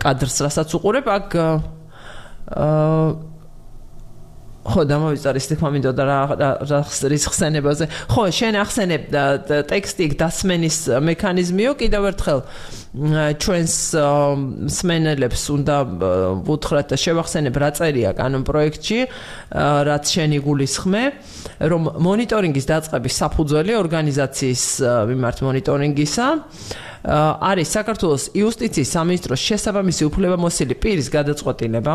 კადრს რასაც უყურებ აქ ხო დამოვიწერის თქმა მინდოდა რა ხსენებაზე ხო შენ ახსენებ ტექსტი დასმენის მექანიზმიო კიდევ ერთხელ ჩვენს მსმენელებს უნდა ვუთხრათ და შევახსენებ რა წერია კანონპროექტში რაც შენ იგულისხმე რომ მონიტორინგის დაწყების საფუძველი ორგანიზაციის მიმართ მონიტორინგისა არის საქართველოს იუსტიციის სამინისტროს შესაბამისი უფლებამოსილი პირის გადაწყვეტილება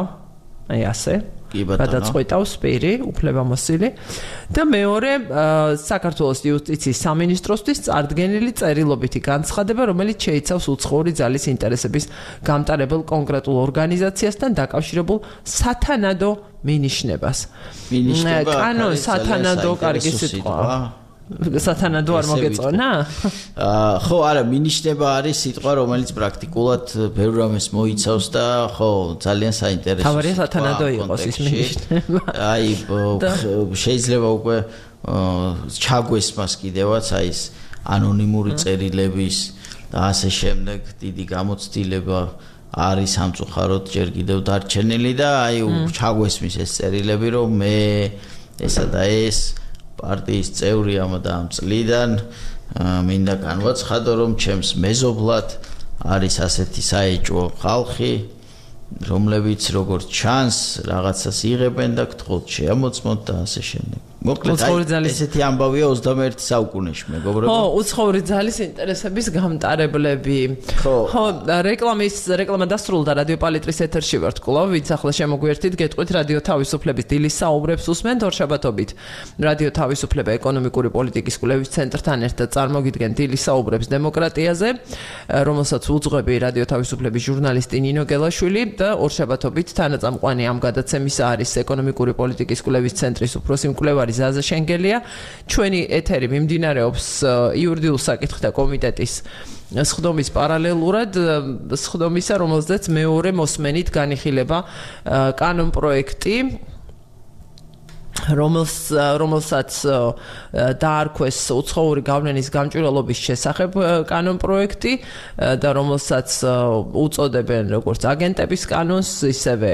აი ასე გადაწყვეტავს პირი უფლებამოსილი და მეორე საქართველოს იუსტიციის სამინისტროსთვის წარდგენილი წერილობითი განცხადება რომელიც შეიცავს უცხოური ძალის ინტერესების გამტარებელ კონკრეტულ ორგანიზაციასთან დაკავშირებულ სათანადო მინიშნებას კანონ სათანადო კარგი სიტყვა სათანადო არ მოგეწონა?
ხო, არა, მინიშნება არის სიტყვა, რომელიც პრაქტიკულად ბევრ რამეს მოიცავს და ხო, ძალიან საინტერესოა.
თავარია სათანადო იყოს ის მინიშნება.
აი, შეიძლება უკვე ჩაგვეს მას კიდევაც აი ეს ანონიმური წერილების და ასე შემდეგ დიდი გამოცდილება არის სამწუხაროდ ჯერ კიდევ დარჩენილი და აი ჩაგვესმის ეს წერილები რომ მე ესა და ეს პარტიის წევრი ამ და ამ წლიდან მინდა განვაცხადო რომ ჩემს მეზობლად არის ასეთი საეჭვო ხალხი რომლებიც როგორც ჩანს რაღაცას იღებენ და გთხოვთ შეამოწმოთ და ასე შემდეგ. მოკლედ ესეთი ამბავია 21 საუკუნეში მეგობრებო.
ხო, უცხოური ძალის ინტერესების გამტარებლები. ხო, რეკლამა დასრულდა რადიო პალიტრის ეთერში ვართ კვლავ, ვინც ახლა შემოგვიერთით, გეტყვით რადიო თავისუფლების დილის საუბრებს უსმენთ ორშაბათობით. რადიო თავისუფლება ეკონომიკური პოლიტიკის კვლევის ცენტრთან ერთად წარმოგიდგენ დილის საუბრებს დემოკრატიაზე, რომელსაც უძღვები რადიო თავისუფლების ჟურნალისტი ნინო გელაშვილი და ორშაბათობით თანაწამყვანი ამ გადაცემისა არის ეკონომიკური პოლიტიკის კვლევის ცენტრის უფროსი მკვლევარი ზაზა შენგელია. ჩვენი ეთერი მიმდინარეობს იურიდიულ საკითხთა კომიტეტის სხდომის პარალელურად სხდომისა, რომელზეც მეორე მოსმენით განიხილება კანონპროექტი, რომელსაც დაარქვეს უცხოური გავლენის გამჭვირვალობის შესახებ კანონპროექტი და რომელსაც უწოდებენ როგორც აგენტების კანონს, ისევე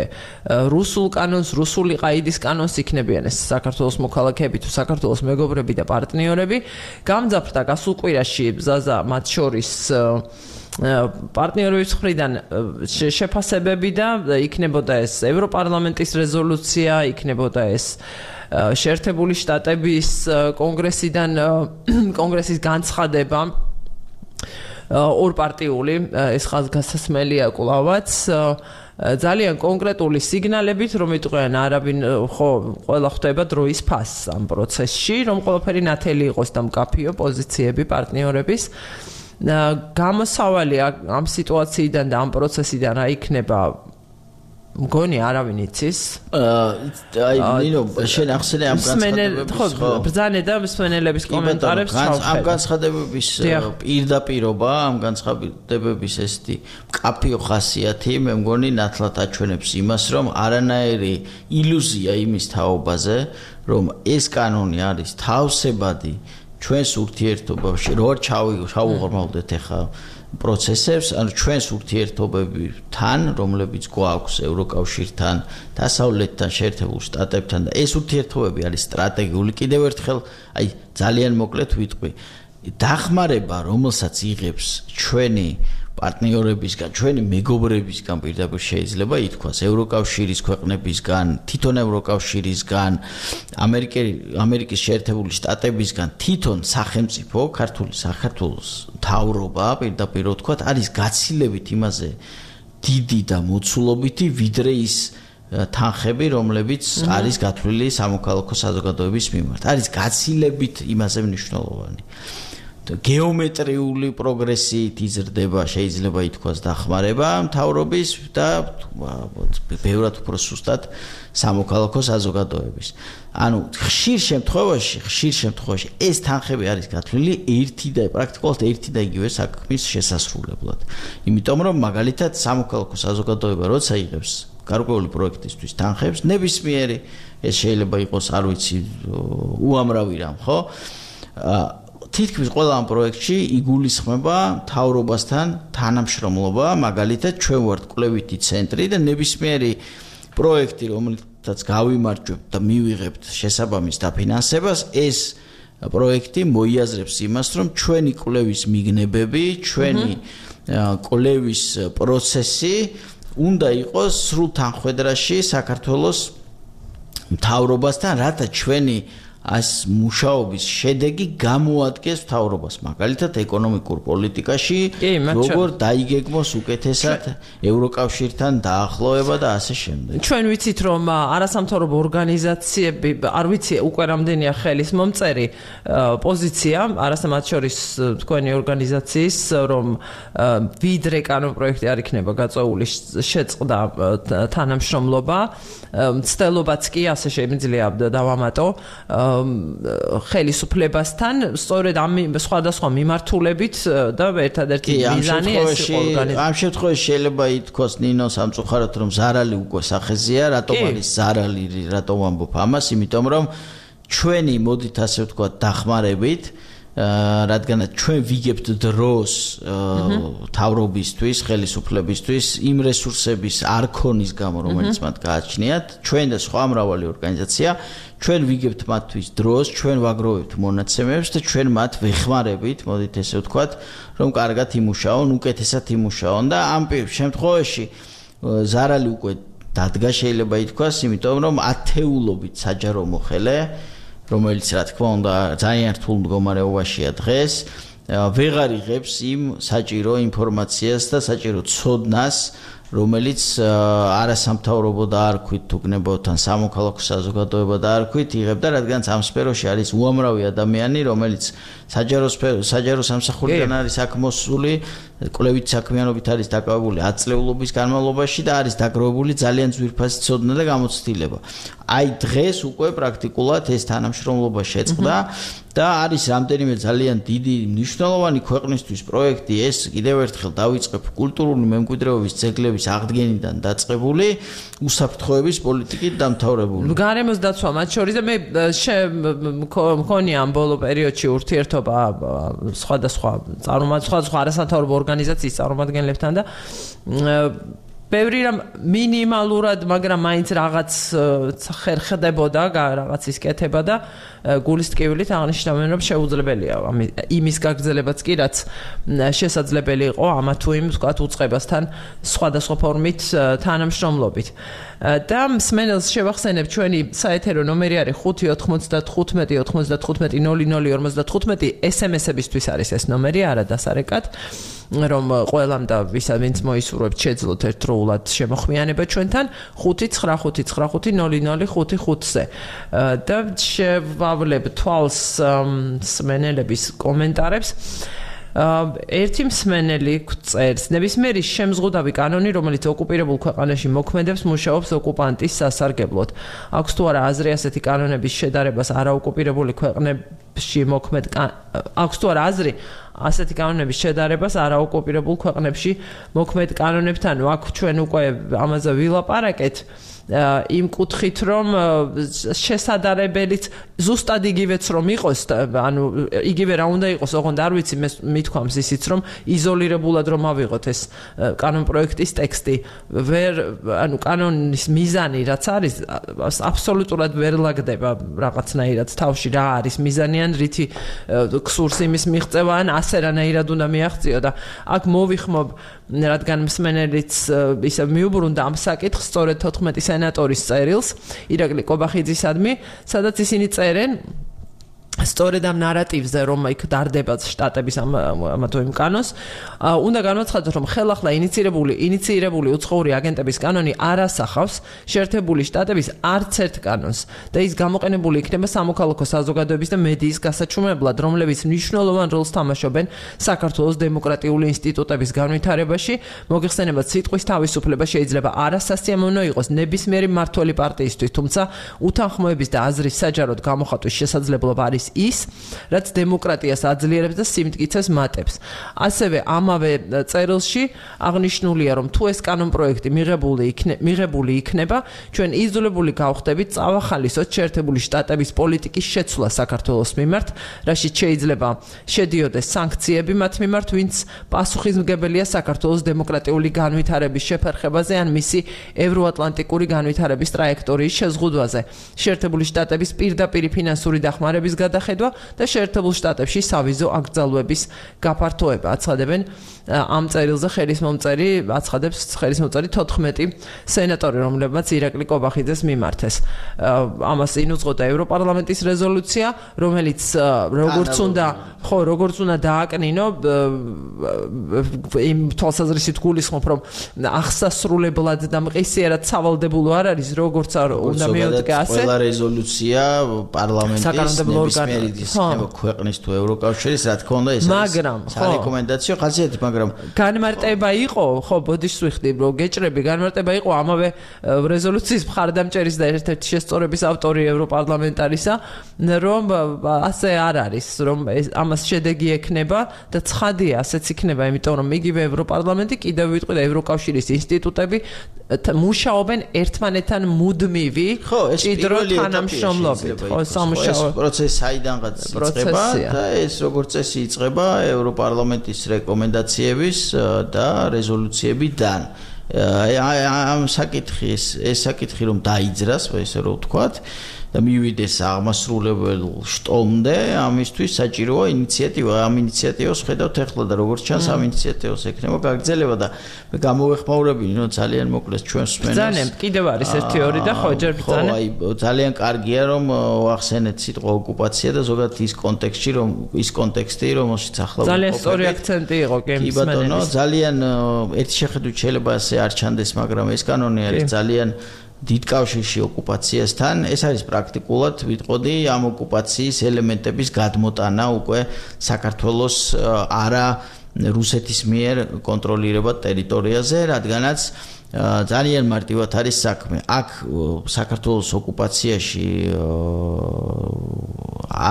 რუსულ კანონს, რუსული ყაიდის კანონს იქნებიან ეს საქართველოს მოქალაქეები თუ საქართველოს მეგობრები და პარტნიორები. გამძაფრდა გასულ კვირაში ზაზა მათ შორის პარტნიორების მხრიდან შეფასებები და იქნებოდა ეს ევროპარლამენტის რეზოლუცია, იქნებოდა ეს შეერთებული შტატების კონგრესის განცხადება ორპარტიული ეს ხაზგასმელია კვლავაც ძალიან კონკრეტული სიგნალებით რომ იტყვიან არავინ ხო ყველა ხვდება დროის ფასს ამ პროცესში რომ ყველაფერი ნათელი იყოს და მკაფიო პოზიციები პარტნიორების გამოსავალი ამ სიტუაციიდან და ამ პროცესიდან რა იქნება მგონი არავინ იცის
აი ნინო შენ ახსენე ამ განცხადებებს
ხო ბრძანე და მსმენელების კომენტარებს
ჩავხედე ამ განცხადებების პირდაპირობა ამ განცხადებების ესეთი მკაფიო ხასიათი მე მგონი ნათლად აჩვენებს იმას რომ არანაირი ილუზია იმის თაობაზე რომ ეს კანონი არის თავსებადი ჩვენს ურთიერთობაში რო ჩავუღრმავდეთ ახლა პროცესებს ანუ ჩვენს ურთიერთობებთან რომლებიც გვაქვს ევროკავშირთან დასავლეთთან შეერთებულ შტატებთან და ეს ურთიერთობები არის სტრატეგიული კიდევ ერთხელ აი ძალიან მოკლედ ვიტყვი დახმარება რომელსაც იღებს ჩვენი პარტნიორებისგან, ჩვენი მეგობრებისგან პირდაპირ შეიძლება ითქვას ევროკავშირის ქვეყნებისგან, თვითონ ევროკავშირისგან, ამერიკის შეერთებული შტატებისგან, თვითონ სახელმწიფო, ქართული საქართველოს მთავრობა პირდაპირ ვთქვათ, არის გაცილებით იმაზე დიდი და მოცულობითი, ვიდრე ის თანხები, რომლებიც არის გათვლილი სამოქალაქო საზოგადოების მიმართ. არის გაცილებით იმაზე მნიშვნელოვანი. გეომეტრიული პროგრესით იზრდება შეიძლება ითქვას დახმარება მთავრობის და ბევრად უფრო სუსტად სამოქალაქო საზოგადოების. ანუ ხშირ შემთხვევაში ეს თანხები არის გათვლილი პრაქტიკულად ერთი და იგივე საქმის შესასრულებლად. იმიტომ რომ მაგალითად სამოქალაქო საზოგადოება როცა იღებს გარკვეული პროექტისთვის თანხებს, ნებისმიერი ეს შეიძლება იყოს, არ ვიცი, უამრავი რამ, ხო? თითქმის ყველა ამ პროექტში იგულისხმება მთავრობასთან თანამშრომლობა, მაგალითად ჩვენ ვართ კვლევითი ცენტრი და ნებისმიერი პროექტი, რომელსაც გავიმარჯვებთ და მივიღებთ შესაბამის დაფინანსებას, ეს პროექტი მოიაზრებს იმას, რომ ჩვენი კვლევის მიგნებები, ჩვენი კვლევის პროცესი უნდა იყოს სრულ თანხმდრაში საქართველოს მთავრობასთან, რათა ჩვენი ას მუშაობის შედეგი გამოადგეს მთავრობას, მაგალითად ეკონომიკურ პოლიტიკაში, როგორ დაიგეგმოს უკეთესად ევროკავშირთან დაახლოება და ასე შემდეგ.
ჩვენ ვიცით, რომ არასამთავრობო ორგანიზაციები, არ ვიცი, უკვე რამდენია ხელის მომწერი პოზიცია, არასამათ შორის თქვენი ორგანიზაციის, რომ ვიდრე კანონპროექტი არ იქნება გაწეული შეწყდა თანამშრომლობა, მცდელობაც კი ასე შემიძლია დავამატო ხელისუფლებასთან, სწორედ ამ სხვადასხვა მიმართულებით და ერთადერთი მიზანი ეს იყო ორგანიზაცია.
ამ შემთხვევაში შეიძლება ითქვას ნინო სამწუხაროდ რომ ზარალი უკვე სახეზეა, რატომ არის ზარალი, რატომ ამბობ ამას, იმიტომ რომ ჩვენი მოდით ასე ვთქვათ დახმარებით რადგანაც ჩვენ ვიგებთ დროს თავრობისთვის, ხელისუფლებისთვის იმ რესურსების არქონის გამო, რომელიც მათ გააჩნიათ, ჩვენ და სხვა მრავალი ორგანიზაცია, ჩვენ ვიგებთ მათთვის დროს, ჩვენ ვაგროვებთ მონაცემებს და ჩვენ მათ ვეხმარებით, მოდით ესე ვთქვათ, რომ კარგად იმუშაონ, უკეთესად იმუშაონ და ამ შემთხვევაში ზარალი უკვე დადგა შეიძლება ითქვას, იმიტომ რომ ათეულობით საჯარო მოხელე რომელიც რა თქმა უნდა ძალიან რთულ მდგომარეობაშია დღეს ვეღარ იღებს იმ საჭირო ინფორმაციას და საჭირო ცოდნას რომელიც არასამთავრობო დაარქვით თუ გნებავთ ან სამოქალაქო საზოგადოება დაარქვით იღებდა რადგანაც ამ სფეროში არის უამრავი ადამიანი რომელიც საჯარო სამსახურიდან არის აქ მოსული კვლევით საქმიანობით არის დაკავებული 10 წლეულობის განმავლობაში და არის დაგროვებული ძალიან ძვირფასი ცოდნა და გამოცდილება. აი დღეს უკვე პრაქტიკულად ეს თანამშრომლობა შეწყდა და არის რამდენიმე ძალიან დიდი მნიშვნელოვანი ქვეყნისთვის პროექტი ეს კიდევ ერთხელ დავიწყებ კულტურული მემკვიდრეობის ძეგლების აღდგენიდან დაწყებული უსაფრთხოების პოლიტიკით დამთავრებული.
გარემოს დაცვა მათ შორის და მე მქონია ამ ბოლო პერიოდში ურთიერთობა სხვადასხვა არასამთავრობო ორგანიზაციის წარმომადგენლებთან და ბევრი რამ მინიმალურად, მაგრამ მაინც რაღაც ხერხდებოდა, რაღაც ისკეთება და გულის ტკივილით აღნიშნავენ, რომ შეუძლებელია იმის გაგრძელებაც კი, რაც შესაძლებელი იყო ამა თუ იმ ვთქვათ უწყებასთან სხვადასხვა ფორმით თანამშრომლობით. და მსმენელს შევახსენებ ჩვენი საეთერო ნომერი არის 595-95-95-00-55 SMS-ებისთვის არის ეს ნომერი, არა დასარეკად. რომ ყველამ და ვინც მოისურვებთ შეძლოთ ერთდროულად შემოხმიანება ჩვენთან 595-95-00-55-ზე და შევავლებ თვალს მსმენელების კომენტარებს. ერთი მსმენელი წერს ნებისმიერი შემზღუდავი კანონი რომელიც ოკუპირებულ ქვეყანაში მოქმედებს მუშაობს ოკუპანტის სასარგებლოდ აქვს თუ არა აზრი ასეთი კანონების შედარებას არაოკუპირებული ქვეყნებში მოქმედ აქვს თუ არა აზრი ასეთი კანონების შედარებას არაოკუპირებულ ქვეყნებში მოქმედ კანონებთან აქ ჩვენ უკვე ამაზე ვილაპარაკეთ იმ კუთხით რომ შესაძლებელიც ზუსტად იგივეც რომ იყოს ანუ იგივე რა უნდა იყოს ოღონდ არ ვიცი მე მithქვამს ისიც რომ იზოლირებულად რომ ავიღოთ ეს კანონპროექტის ტექსტი ანუ კანონის მიზანი რაც არის აბსოლუტურად ვერ ლაგდება რაღაცნაირად თავში რა არის მიზანი ან რითი ქსურს იმის მიღწევა ან ასე რანაირად უნდა მიაღწიო და აქ მოვიხმობ რადგან მსმენელიც ისე მიუბრუნდა ამ საკითხს სწორედ 14 სენატორის წერილს ირაკლი კობახიძისადმი სადაც ისინი წერენ სწორედ ამ ნარატივზე რომ იქ დარდება შტატების ამ თუ იმ კანონს უნდა განაცხადოს რომ ხელახლა ინიცირებული უცხოური აგენტების კანონი არ ასახავს შეერთებული შტატების არც ერთ კანონს და ის გამოყენებული იქნება სამოქალაქო საზოგადოების და მედიის გასაჩუმებლად რომლებიც მნიშვნელოვან როლს თამაშობენ საქართველოს დემოკრატიული ინსტიტუტების განვითარებაში მოგეხსენებათ სიტყვის თავისუფლება შეიძლება არასასიამოვნო იყოს ნებისმიერი მმართველი პარტიისთვის თუმცა უთანხმოების და აზრის საჯაროდ გამოხატვის შესაძლებლობა არის ის, რაც დემოკრატიას აძლიერებს და სიმტკიცეს მატებს. ასევე ამავე წერილში აღნიშნულია, რომ თუ ეს კანონპროექტი მიღებული იქნება, ჩვენ იძულებული გავხდებით წავახალისოთ შეერთებული შტატების პოლიტიკის შეცვლა საქართველოს მიმართ, რაშიც შეიძლება შედიოდეს სანქციები მათ მიმართ, ვინც პასუხისმგებელია საქართველოს დემოკრატიული განვითარების შეფერხებაზე ან მისი ევროატლანტიკური განვითარების ტრაექტორიის შეზღუდვაზე. შეერთებული შტატების პირდაპირი ფინანსური დახმარების გადახედვა და შეერთებულ შტატებში სავიზო აკრძალვების გაფართოება აცხადებენ ამ წერილზე აცხადებს ხელისმომწერი 14 სენატორი რომლებმაც ირაკლი კობახიძეს მიმართეს ამას ინუძღოდა ევროპარლამენტის რეზოლუცია რომელიც როგორც უნდა დააკნინო იმ თვალსაზრისით გულისხმობ რომ აღსასრულებლად და მყისიერად სავალდებულო არ არის როგორც არ უნდა მიოდგა ასე
ყველა რეზოლუცია პარლამენტის მერიდის იქნება ქვეყნის თუ ევროკავშირის, რა თქმა უნდა, ეს არის სარეკომენდაციო ხასიათი, მაგრამ
განმარტება იყო, ხო, ბოდიშს ვიხდი, რომ გეჭრები, განმარტება იყო ამავე რეზოლუციის მხარდამჭერის და ერთ-ერთი შესწორების ავტორი ევროპარლამენტარისა, რომ ასე არ არის, რომ ამას შედეგი ექნება და ცხადია, ასეც იქნება, იმიტომ რომ იგივე ევროპარლამენტი კიდევ ვიტყვი და ევროკავშირის ინსტიტუტები მუშაობენ ერთმანეთთან მუდმივი ჭიდრო თანამშრომლობით. ხო, სამუშაო
პროცესი საიდანღაც იწყება და ეს როგორც წესი იწყება ევროპარლამენტის რეკომენდაციების და რეზოლუციებიდან. ამ საკითხი რომ დაიძრას, ესე რომ ვთქვათ, და მივიდეს აღმასრულებელ შტომდე, ამისთვის საჭიროა ინიციატივა. ამ ინიციატივას ხედავთ ახლა და როგორც ჩანს, ამ ინიციატივას ექნება გაგრძელება და მე გამოვეხმაურებინი, რომ ძალიან მოკლეს ჩვენს მსმენელს.
ძალიან კიდევ არის 1-2 და ხო, ჯერ ბრძანა.
აი, ძალიან კარგია რომ ვახსენეთ სიტყვა ოკუპაცია და ზოგადად ის კონტექსტი, რომელშიც ახლა
ძალიან სწორი აქცენტი იყო კი
მსმენელის. კი ბატონო, ძალიან ერთი შეხედვით შეიძლება ასე არ ჩანდეს, მაგრამ ეს კანონი არის ძალიან დიდ კავშირში ოკუპაციასთან. ეს არის პრაქტიკულად ვიტყოდი ამ ოკუპაციის ელემენტების გადმოტანა უკვე საქართველოს არა რუსეთის მიერ კონტროლირებად ტერიტორიაზე, რადგანაც ძალიან მარტივად არის საქმე. აქ საქართველოს ოკუპაციაში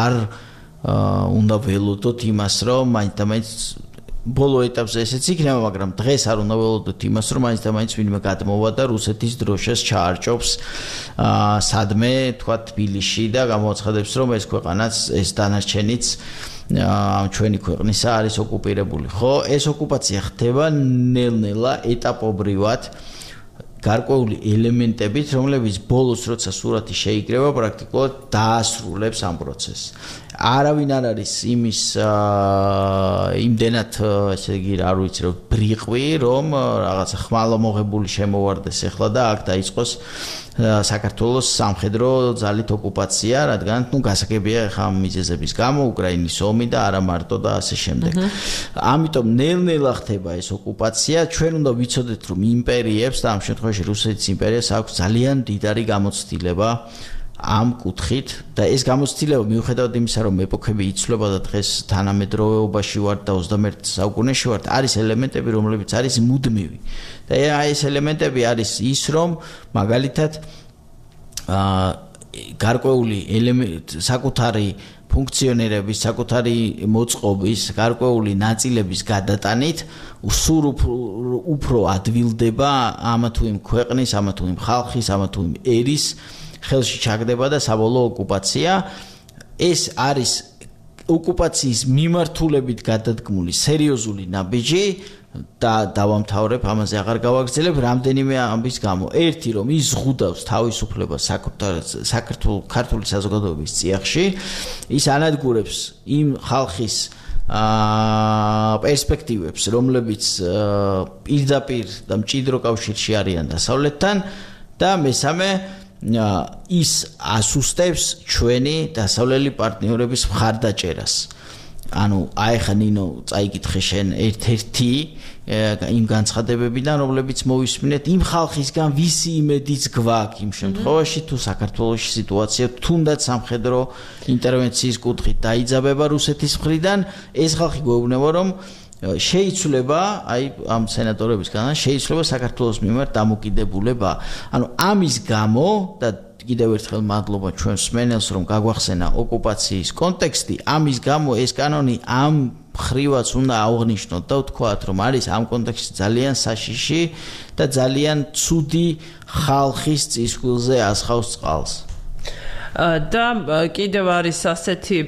არ უნდა ველოდოთ იმას, რომ მაინც ბოლო ეტაპზე ესეც იქნება, მაგრამ დღეს არ უნდა ველოდოთ იმას, რომ მაინც ვინმე გადმოვა და რუსეთის დროშას ჩაარჭობს სადმე, თქვა თბილისში და გამოაცხადებს, რომ ეს ქვეყანაც, ეს დანარჩენიც ჩვენი ქვეყნისა არის ოკუპირებული. ხო, ეს ოკუპაცია ხდება ნელ-ნელა ეტაპობრივად გარკვეული ელემენტებით, რომლებიც ბოლოს როცა სურათი შეიკრება, პრაქტიკულად დაასრულებს ამ პროცესს. არავინ არ არის იმის იმდენად, ესე იგი, არ ვიცი, რომ ბრიყვი, რომ რაღაცა ხმალამოღებული შემოვარდეს ახლა და აქ დაიწყოს საქართველოს სამხედრო ძალით ოკუპაცია, რადგან გასაგებია ახლა ამ მიზეზების გამო უკრაინის ომი და არა მარტო და ასე შემდეგ. ამიტომ ნელ-ნელა ხდება ეს ოკუპაცია. ჩვენ უნდა ვიცოდეთ, რომ იმპერიებს და ამ შემთხვევაში რუსეთის იმპერიას აქვს ძალიან დიდარი გამოცდილება ამ კუთხით და ეს გამოცდილება მიუხედავად იმისა, რომ ეპოქები იცვლება და დღეს თანამედროვეობაში ვართ და 21 საუკუნეში ვართ, არის ელემენტები, რომლებიც არის მუდმივი. და ეს ელემენტები არის ის, რომ მაგალითად გარკვეული საკუთარი ფუნქციონირების, საკუთარი მოწყობის, გარკვეული ნაწილების გადატანით სულ უფრო ადვილდება ამა თუ იმ ქვეყნის, ამა თუ იმ ხალხის, ამა თუ იმ ერის ხელში ჩაგდება და საბოლოო ოკუპაცია. ეს არის ოკუპაციის მიმართულებით გადადგმული სერიოზული ნაბიჯი და დავამთავრებ, ამაზე აღარ გავაგრძელებ, რამდენიმე ამბის გამო. ერთი, რომ ის ზღუდავს თავისუფლებას ქართული საზოგადოების წიაღში, ის ანადგურებს იმ ხალხის პერსპექტივებს, რომლებიც პირდაპირ და მჭიდრო კავშირში არიან დასავლეთთან და მესამე ის ასუსტებს ჩვენი დასავლელი პარტნიორების მხარდაჭერას. ანუ აი ხა ნინო წაიკითხე შენ ერთ-ერთი იმ განცხადებებიდან, რომლებიც მოვისმინეთ იმ ხალხისგან, ვისი იმედიც გვაქვს იმ შემთხვევაში, თუ საქართველოში სიტუაცია თუნდაც სამხედრო ინტერვენციის კუთხით დაიძაბება რუსეთის მხრიდან, ეს ხალხი გვეუბნება, რომ შეიცვლება, აი ამ სენატორებისგან შეიცვლება საქართველოს მიმართ დამოკიდებულება. ანუ ამის გამო და კიდევ ერთხელ მადლობა ჩვენს მსმენელს, რომ გაგვახსენა ოკუპაციის კონტექსტი. ამის გამო ეს კანონი ამ ხრივაც უნდა აღვნიშნოთ და ვთქვათ, რომ არის ამ კონტექსტში ძალიან საშიში და ძალიან ცუდი ხალხის წისქვილზე ასხავს წყალს.
და კიდევ არის ასეთი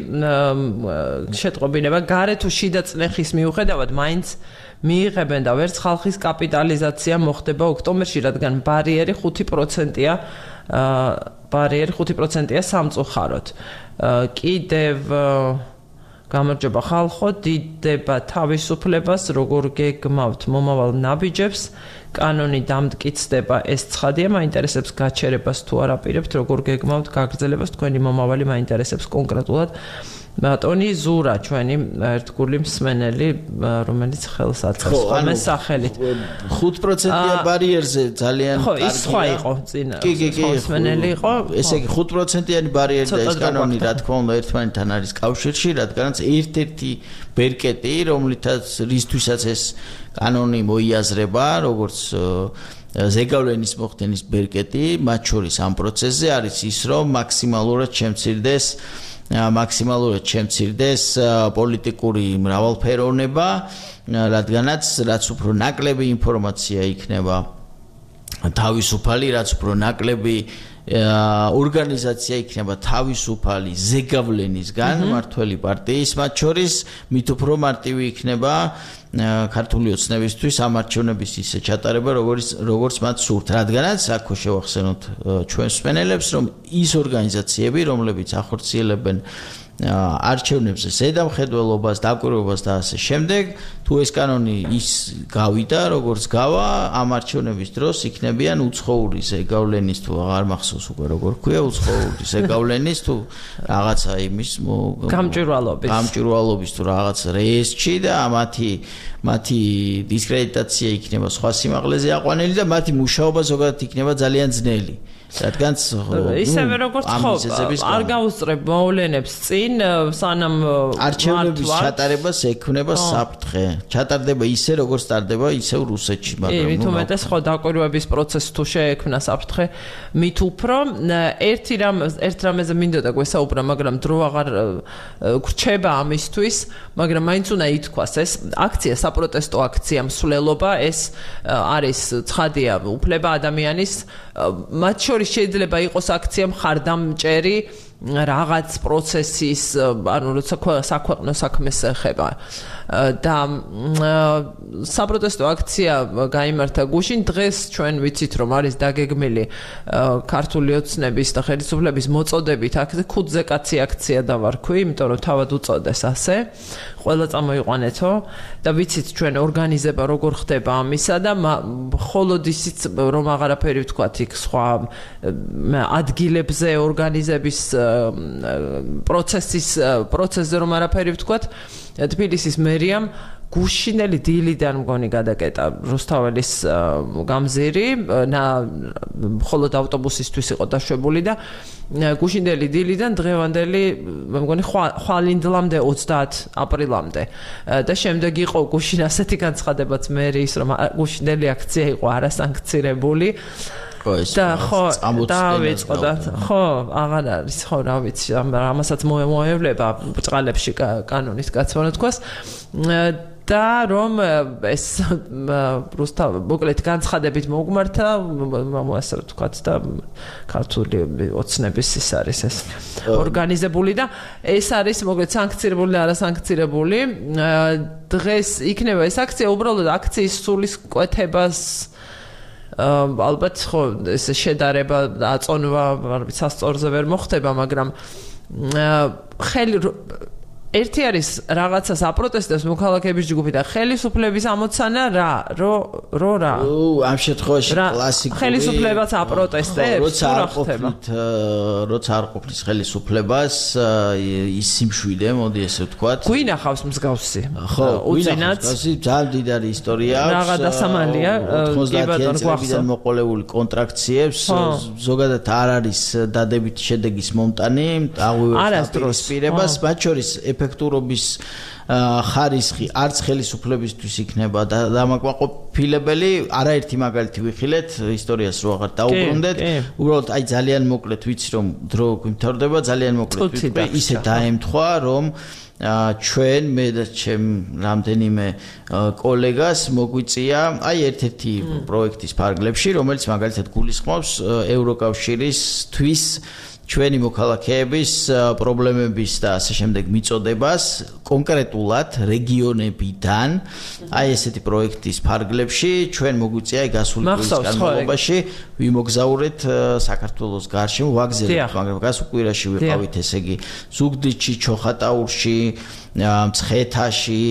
შეტყობინება, გარე თუ შიდა წნეხის მიუხედავად მაინც მიიღებენ და ვერც ხალხის კაპიტალიზაცია მოხდება ოქტომბერში, რადგან ბარიერი 5%-ია, ბარიერი 5%-ია სამწუხაროდ. კიდევ გამარჯობა ხალხო, დიდება თავისუფლებას, როგორ გეგმავთ მომავალ ნაბიჯებს კანონი დამტკიცდება ეს ცხადია, მაინტერესებს გაჩერებას თუ არ აპირებთ, როგორ გეგმავთ გაგრძელებას, თქვენი მომავალი მაინტერესებს კონკრეტულად. ბატონი ზურა ჩვენი ერთგული მსმენელი, რომელიც ხელს აწყობს ხოლმე სახელით.
5%-იან ბარიერზე ძალიან
კარგია. ხო, ის სხვა იყო წინ. მსმენელი იყო.
ესე იგი 5%-იანი ბარიერი და ეს კანონი რა თქმა უნდა ერთმანეთთან არის კავშირში, რადგანაც ერთ-ერთი ბერკეტი, რისთვისაც ეს კანონი მოიაზრება, როგორც ზეგავლენის მოხდენის ბერკეტი, მათ შორის ამ პროცესზე არის ის, რომ მაქსიმალურად შემცირდეს პოლიტიკური მრავალფეროვნება, რაც უფრო ნაკლები ინფორმაცია იქნება თავისუფალი, რაც უფრო ნაკლები ორგანიზაცია იქნება თავისუფალი ზეგავლენისგან მართველი პარტიის მათ შორის, მით უფრო მარტივი იქნება ქართული ოცნებისთვის ამ არჩევნების ისე ჩატარება, როგორც მათ სურთ, რადგანაც აქ შევახსენოთ ჩვენს მსმენელებს, რომ ის ორგანიზაციები, რომლებიც ახორციელებენ არჩევნებზე ზედამხედველობას, დაკვირვებას და ასე შემდეგ, თუ ეს კანონი ის გავიდა, როგორც გავა, ამ არჩევნების დროს იქნებიან უცხოური ზეგავლენის თუ აღარ მახსოვს უკვე როგორ ქვია, უცხოური ზეგავლენის თუ რაღაცა იმის გამჭვირვალობის თუ რაღაც რეესტრში და მათი დისკრედიტაცია იქნება სხვა სიმაღლეზე აყვანილი და მათი მუშაობა ზოგადად იქნება ძალიან ძნელი. რადგანაც
ისევე როგორც ხო არ გაუსწრებ მოვლენებს წინ სანამ
არჩევნების ჩატარებას ექნება საფრთხე. ჩატარდება ისე როგორც ტარდება ისევ რუსეთში, მაგრამ
მით უმეტეს ხო დაკვირვების პროცესი თუ შეექმნა საფრთხე, მით უფრო ერთ რამეზე მინდოდა გვესაუბრა, მაგრამ დრო აღარ გრჩება ამისთვის, მაგრამ მაინც უნდა ითქვას ეს აქცია, საპროტესტო აქცია მსვლელობა, ეს არის ცხადია უფლება ადამიანის, მათ შორის შეიძლება იყოს აქცია მხარდამჭერი რაღაც პროცესის, ანუ როცა საქვეყნო საქმეს ეხება და საპროტესტო აქცია გაიმართა გუშინ. დღეს ჩვენ ვიცით, რომ არის დაგეგმილი ქართული ოცნების და ხელისუფლების მოწოდებით აქ ხუთზე კაცი აქცია დავარქვი, იმიტომ რომ თავად უწოდეს ასე. ყველა წამოიყვანეთო და ვიცით ჩვენ ორგანიზება როგორ ხდება ამისა და მხოლოდ ისიც რომ აღარაფერი ვთქვათ იქ სხვა ადგილებზე ორგანიზების პროცესზე რომ არაფერი ვთქვათ, თბილისის მერიამ გუშინელი დილიდან მგონი გადაკეტა რუსთაველის გამზირი, მხოლოდ ავტობუსისთვის იყო დაშვებული და გუშინელი დილიდან დღევანდელი მგონი ხვალინდლამდე 30 აპრილამდე და შემდეგ იყო გუშინ ასეთი განცხადებაც მერის, რომ გუშინელი აქცია იყო არასანქცირებული. და ხო დავიწყო და ხო აღარ არის ხო რა ვიცი ამასაც მოევლება ბწყალებში კანონის გაცვლა თქვას და რომ ეს რუსთავ მოკლედ განცხადებით მოგმართა ასე ვთქვათ და ქართული ოცნების ის არის ეს ორგანიზებული და ეს არის მოკლედ სანქცირებული და არასანქცირებული. დღეს იქნება ეს აქცია უბრალოდ აქციის სულისკვეთებას ალბათ ხო ეს შედარება აწონვა არ ვიცი სასწორზე ვერ მოხდება, მაგრამ ერთი არის რაღაცას აპროტესტებს მოქალაქეების ჯგუფი და ხელისუფლების ამოცანა რა
ამ შემთხვევაში კლასიკური
ხელისუფლებაც აპროტესტებს
როცა არ ყოფნის ხელისუფლებას ის სიმშვიდე მოდი ესე ვთქვათ
გვინახავს მსგავსი
უწინათ ძალიან დიდარი ისტორია
რაღა დასამალია
90-იან წლებიდან მოყოლებული კონტრაქციებს ზოგადად არ არის დადებითი შედეგის მომტანი აღუვევს პირებას მათ შორის ეფექტურობის ხარისხი არც ხელისუფლებისთვის იქნება დამაკმაყოფილებელი. არაერთი მაგალითი ვიხილეთ ისტორიას რო აღარ დაუბრუნდეთ. უბრალოდ აი ძალიან მოკლედ ვიცი რომ დრო გვიმთავრდება, ძალიან მოკლედ ვიტყვი, ისე დაემთხვა რომ ჩვენ მე და ჩემ რამდენიმე კოლეგას მოგვიწია აი ერთ-ერთი პროექტის ფარგლებში, რომელიც მაგალითად გულისხმობს ევროკავშირისთვის ჩვენი მოქალაქეების პრობლემების და ასე შემდეგ მიწოდებას კონკრეტულად რეგიონებიდან აი ესეთი პროექტის ფარგლებში ჩვენ მოგვიწია გასული წლის განმავლობაში ვიმოგზაურეთ საქართველოს გარშემო ვაგზავნეთ, მაგრამ გასულ კვირაში ვიყავით ესე იგი ზუგდიდში, ჩოხატაურში, მცხეთაში,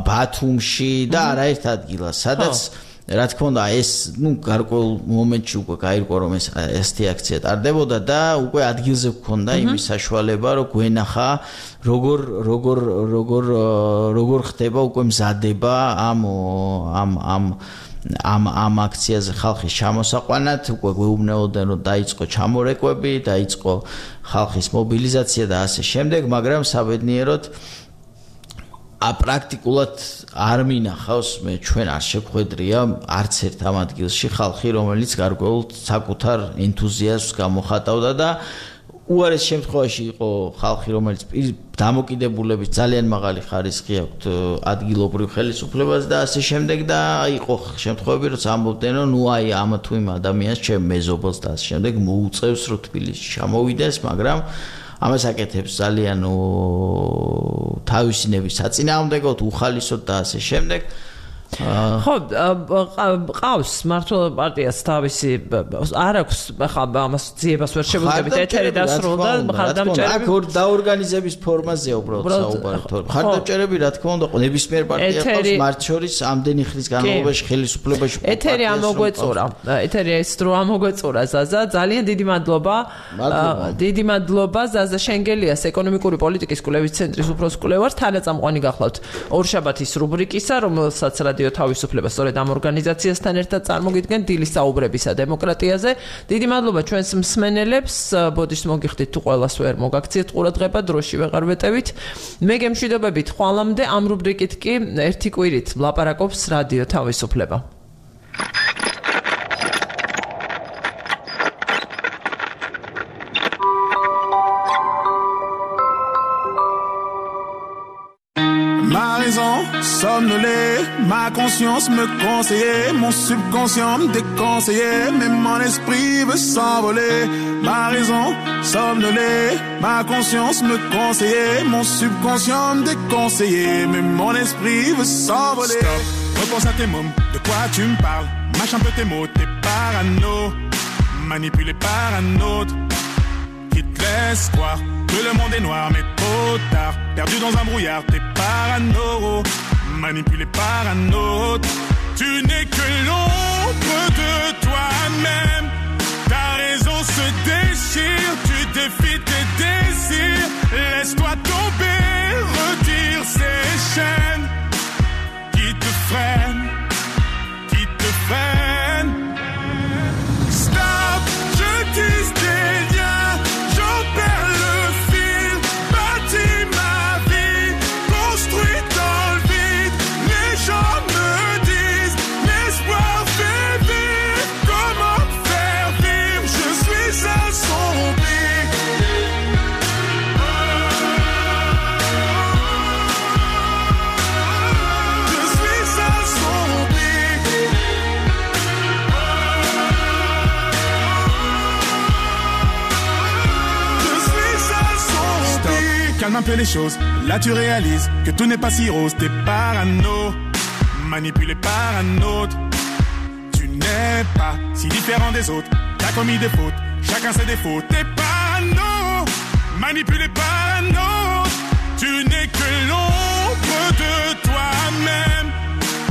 ბათუმში და არაერთ ადგილას, სადაც რა თქმა უნდა ეს გარკვეულ მომენტში უკვე გაირკვა რომ ესეთი აქცია ტარდებოდა და უკვე ადგილზე გქონდა იმის საშუალება რომ გვენახა როგორ ხდება უკვე მზადება ამ აქციაზე ხალხის ჩამოსაყვანად უკვე გვეუბნებოდნენ რომ დაიწყო ჩამორეკვები, დაიწყო ხალხის მობილიზაცია და ასე შემდეგ, მაგრამ საბედნიეროდ პრაქტიკულად არ მინახავს ჩვენ არ შეხვედრია არც ერთ ამ ადგილში ხალხი რომელიც გარკვეულ საკუთარ ენთუზიაზმს გამოხატავდა და უარეს შემთხვევაში იყო ხალხი რომელიც დამოკიდებულების ძალიან მაღალი ხარისხი აქვს ადგილობრივ ხელისუფლებას და ასე შემდეგ და იყო შემთხვევები რომ ამბობდნენ რომ ნუ აი ამ თუ იმ ადამიანს ჩემ მეზობელს და ასე შემდეგ მოუწევს რომ თბილისში ჩამოვიდეს მაგრამ ამას აკეთებს ძალიან თავისინების საწინააღმდეგოდ უხალისოდ და ასე შემდეგ ხო ყავს მართლობა პარტიას თავისი არ აქვს ახლა ამას ძიებას ვერ შეგვიძლია ეთერი დასრულდა მხარდამჭერები აქ დაორგანიზების ფორმაზეა უბრალოდ საუბარი მხარდამჭერები რა თქმა უნდა ნებისმიერ პარტია ყავს მათ შორის ამდენი ხნის განმავლობაში ხელისუფლებაში
ეთერი ეთერი ეს დრო ამოგვეწურა ზაზა ძალიან დიდი მადლობა ზაზა შენგელიას ეკონომიკური პოლიტიკის კვლევის ცენტრის უფროს კვლევარ თანაწამყვანი გახლავთ ორშაბათის რუბრიკისა რომელსაც რადიო თავისუფლება სწორედ ამ ორგანიზაციასთან ერთად წარმოგიდგენ დილის საუბრებისა დემოკრატიაზე. დიდი მადლობა ჩვენს მსმენელებს. ბოდიშს მოგიხდით თუ ყველას ვერ მოგაქციეთ ყურადღება, დროში ვეღარ ვეტევით. მე გემშვიდობებით ხვალამდე ამ რუბრიკით კი ერთი კვირით ვლაპარაკობს რადიო თავისუფლება.
Somnolé, ma conscience me conseillait, mon subconscient me déconseillait, mais mon esprit veut s'envoler. Ma raison, somnolé, ma conscience me conseillait, mon subconscient me déconseillait, mais mon esprit veut s'envoler. Stop, repense à tes mômes, de quoi tu me parles? Mâche un peu tes mots, t'es parano, manipulé par un autre, qui te laisse croire que le monde est noir, mais trop tard, perdu dans un brouillard, t'es parano. Manipulé par un autre, tu n'es que l'ombre de toi-même. Ta raison se déchire, tu défies tes désirs. Laisse-toi tomber, retire ces chaînes qui te freinent, Stop, je tisse des liens, j'en perds le fil, bâtis ma vie, construis dans le vide. Les gens me disent, l'espoir fait vivre, comment faire vivre, je suis assombri. Je suis assombri. Je suis assombri. Stop, calme un peu les choses, là tu réalises que tout n'est pas si rose, t'es parano, manipulé par un autre. Tu n'es pas si différent des autres, t'as commis des fautes, chacun ses défauts. T'es parano, manipulé par un autre. Tu n'es que l'ombre de toi-même.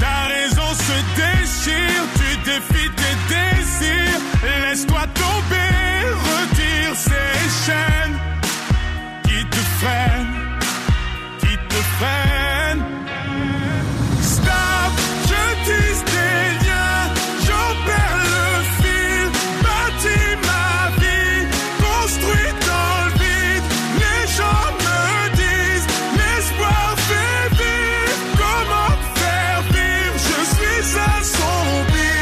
Ta raison se déchire, tu défies tes désirs. Laisse-toi tomber, retire ces chaînes qui te freinent. Stop, je tisse des liens, j'en perds le fil, bâtis ma vie, construis dans le vide. Les gens me disent, l'espoir fait vivre, comment faire vivre, je suis assombri.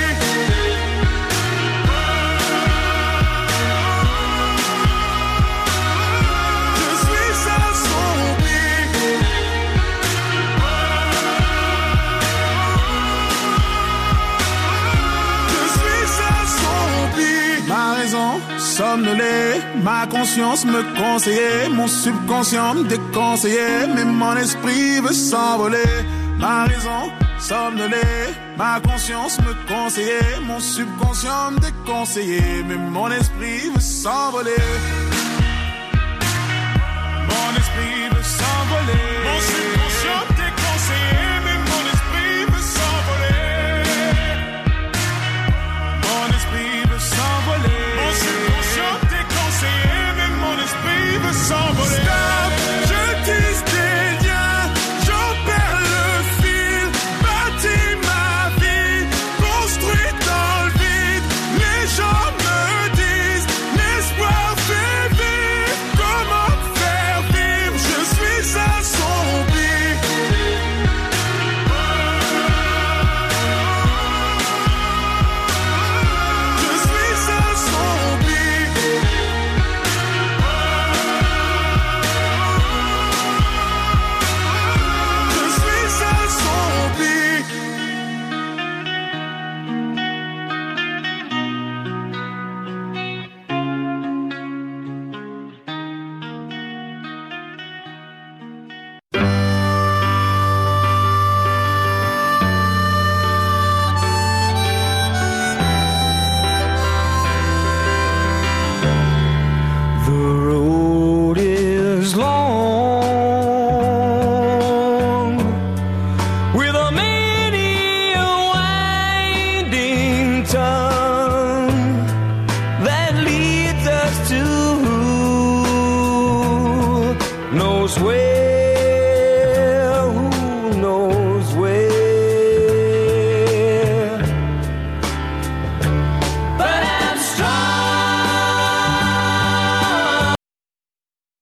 Je suis assombri. Ma raison, somnolé, ma conscience me conseillait, mon subconscient me déconseillait, mais mon esprit veut s'envoler. Ma raison, somnolé, ma conscience me conseillait, mon subconscient me déconseillait, mais mon esprit veut s'envoler. Mon esprit veut s'envoler. Mon subconscient me déconseillait, mais mon esprit veut s'envoler.
most way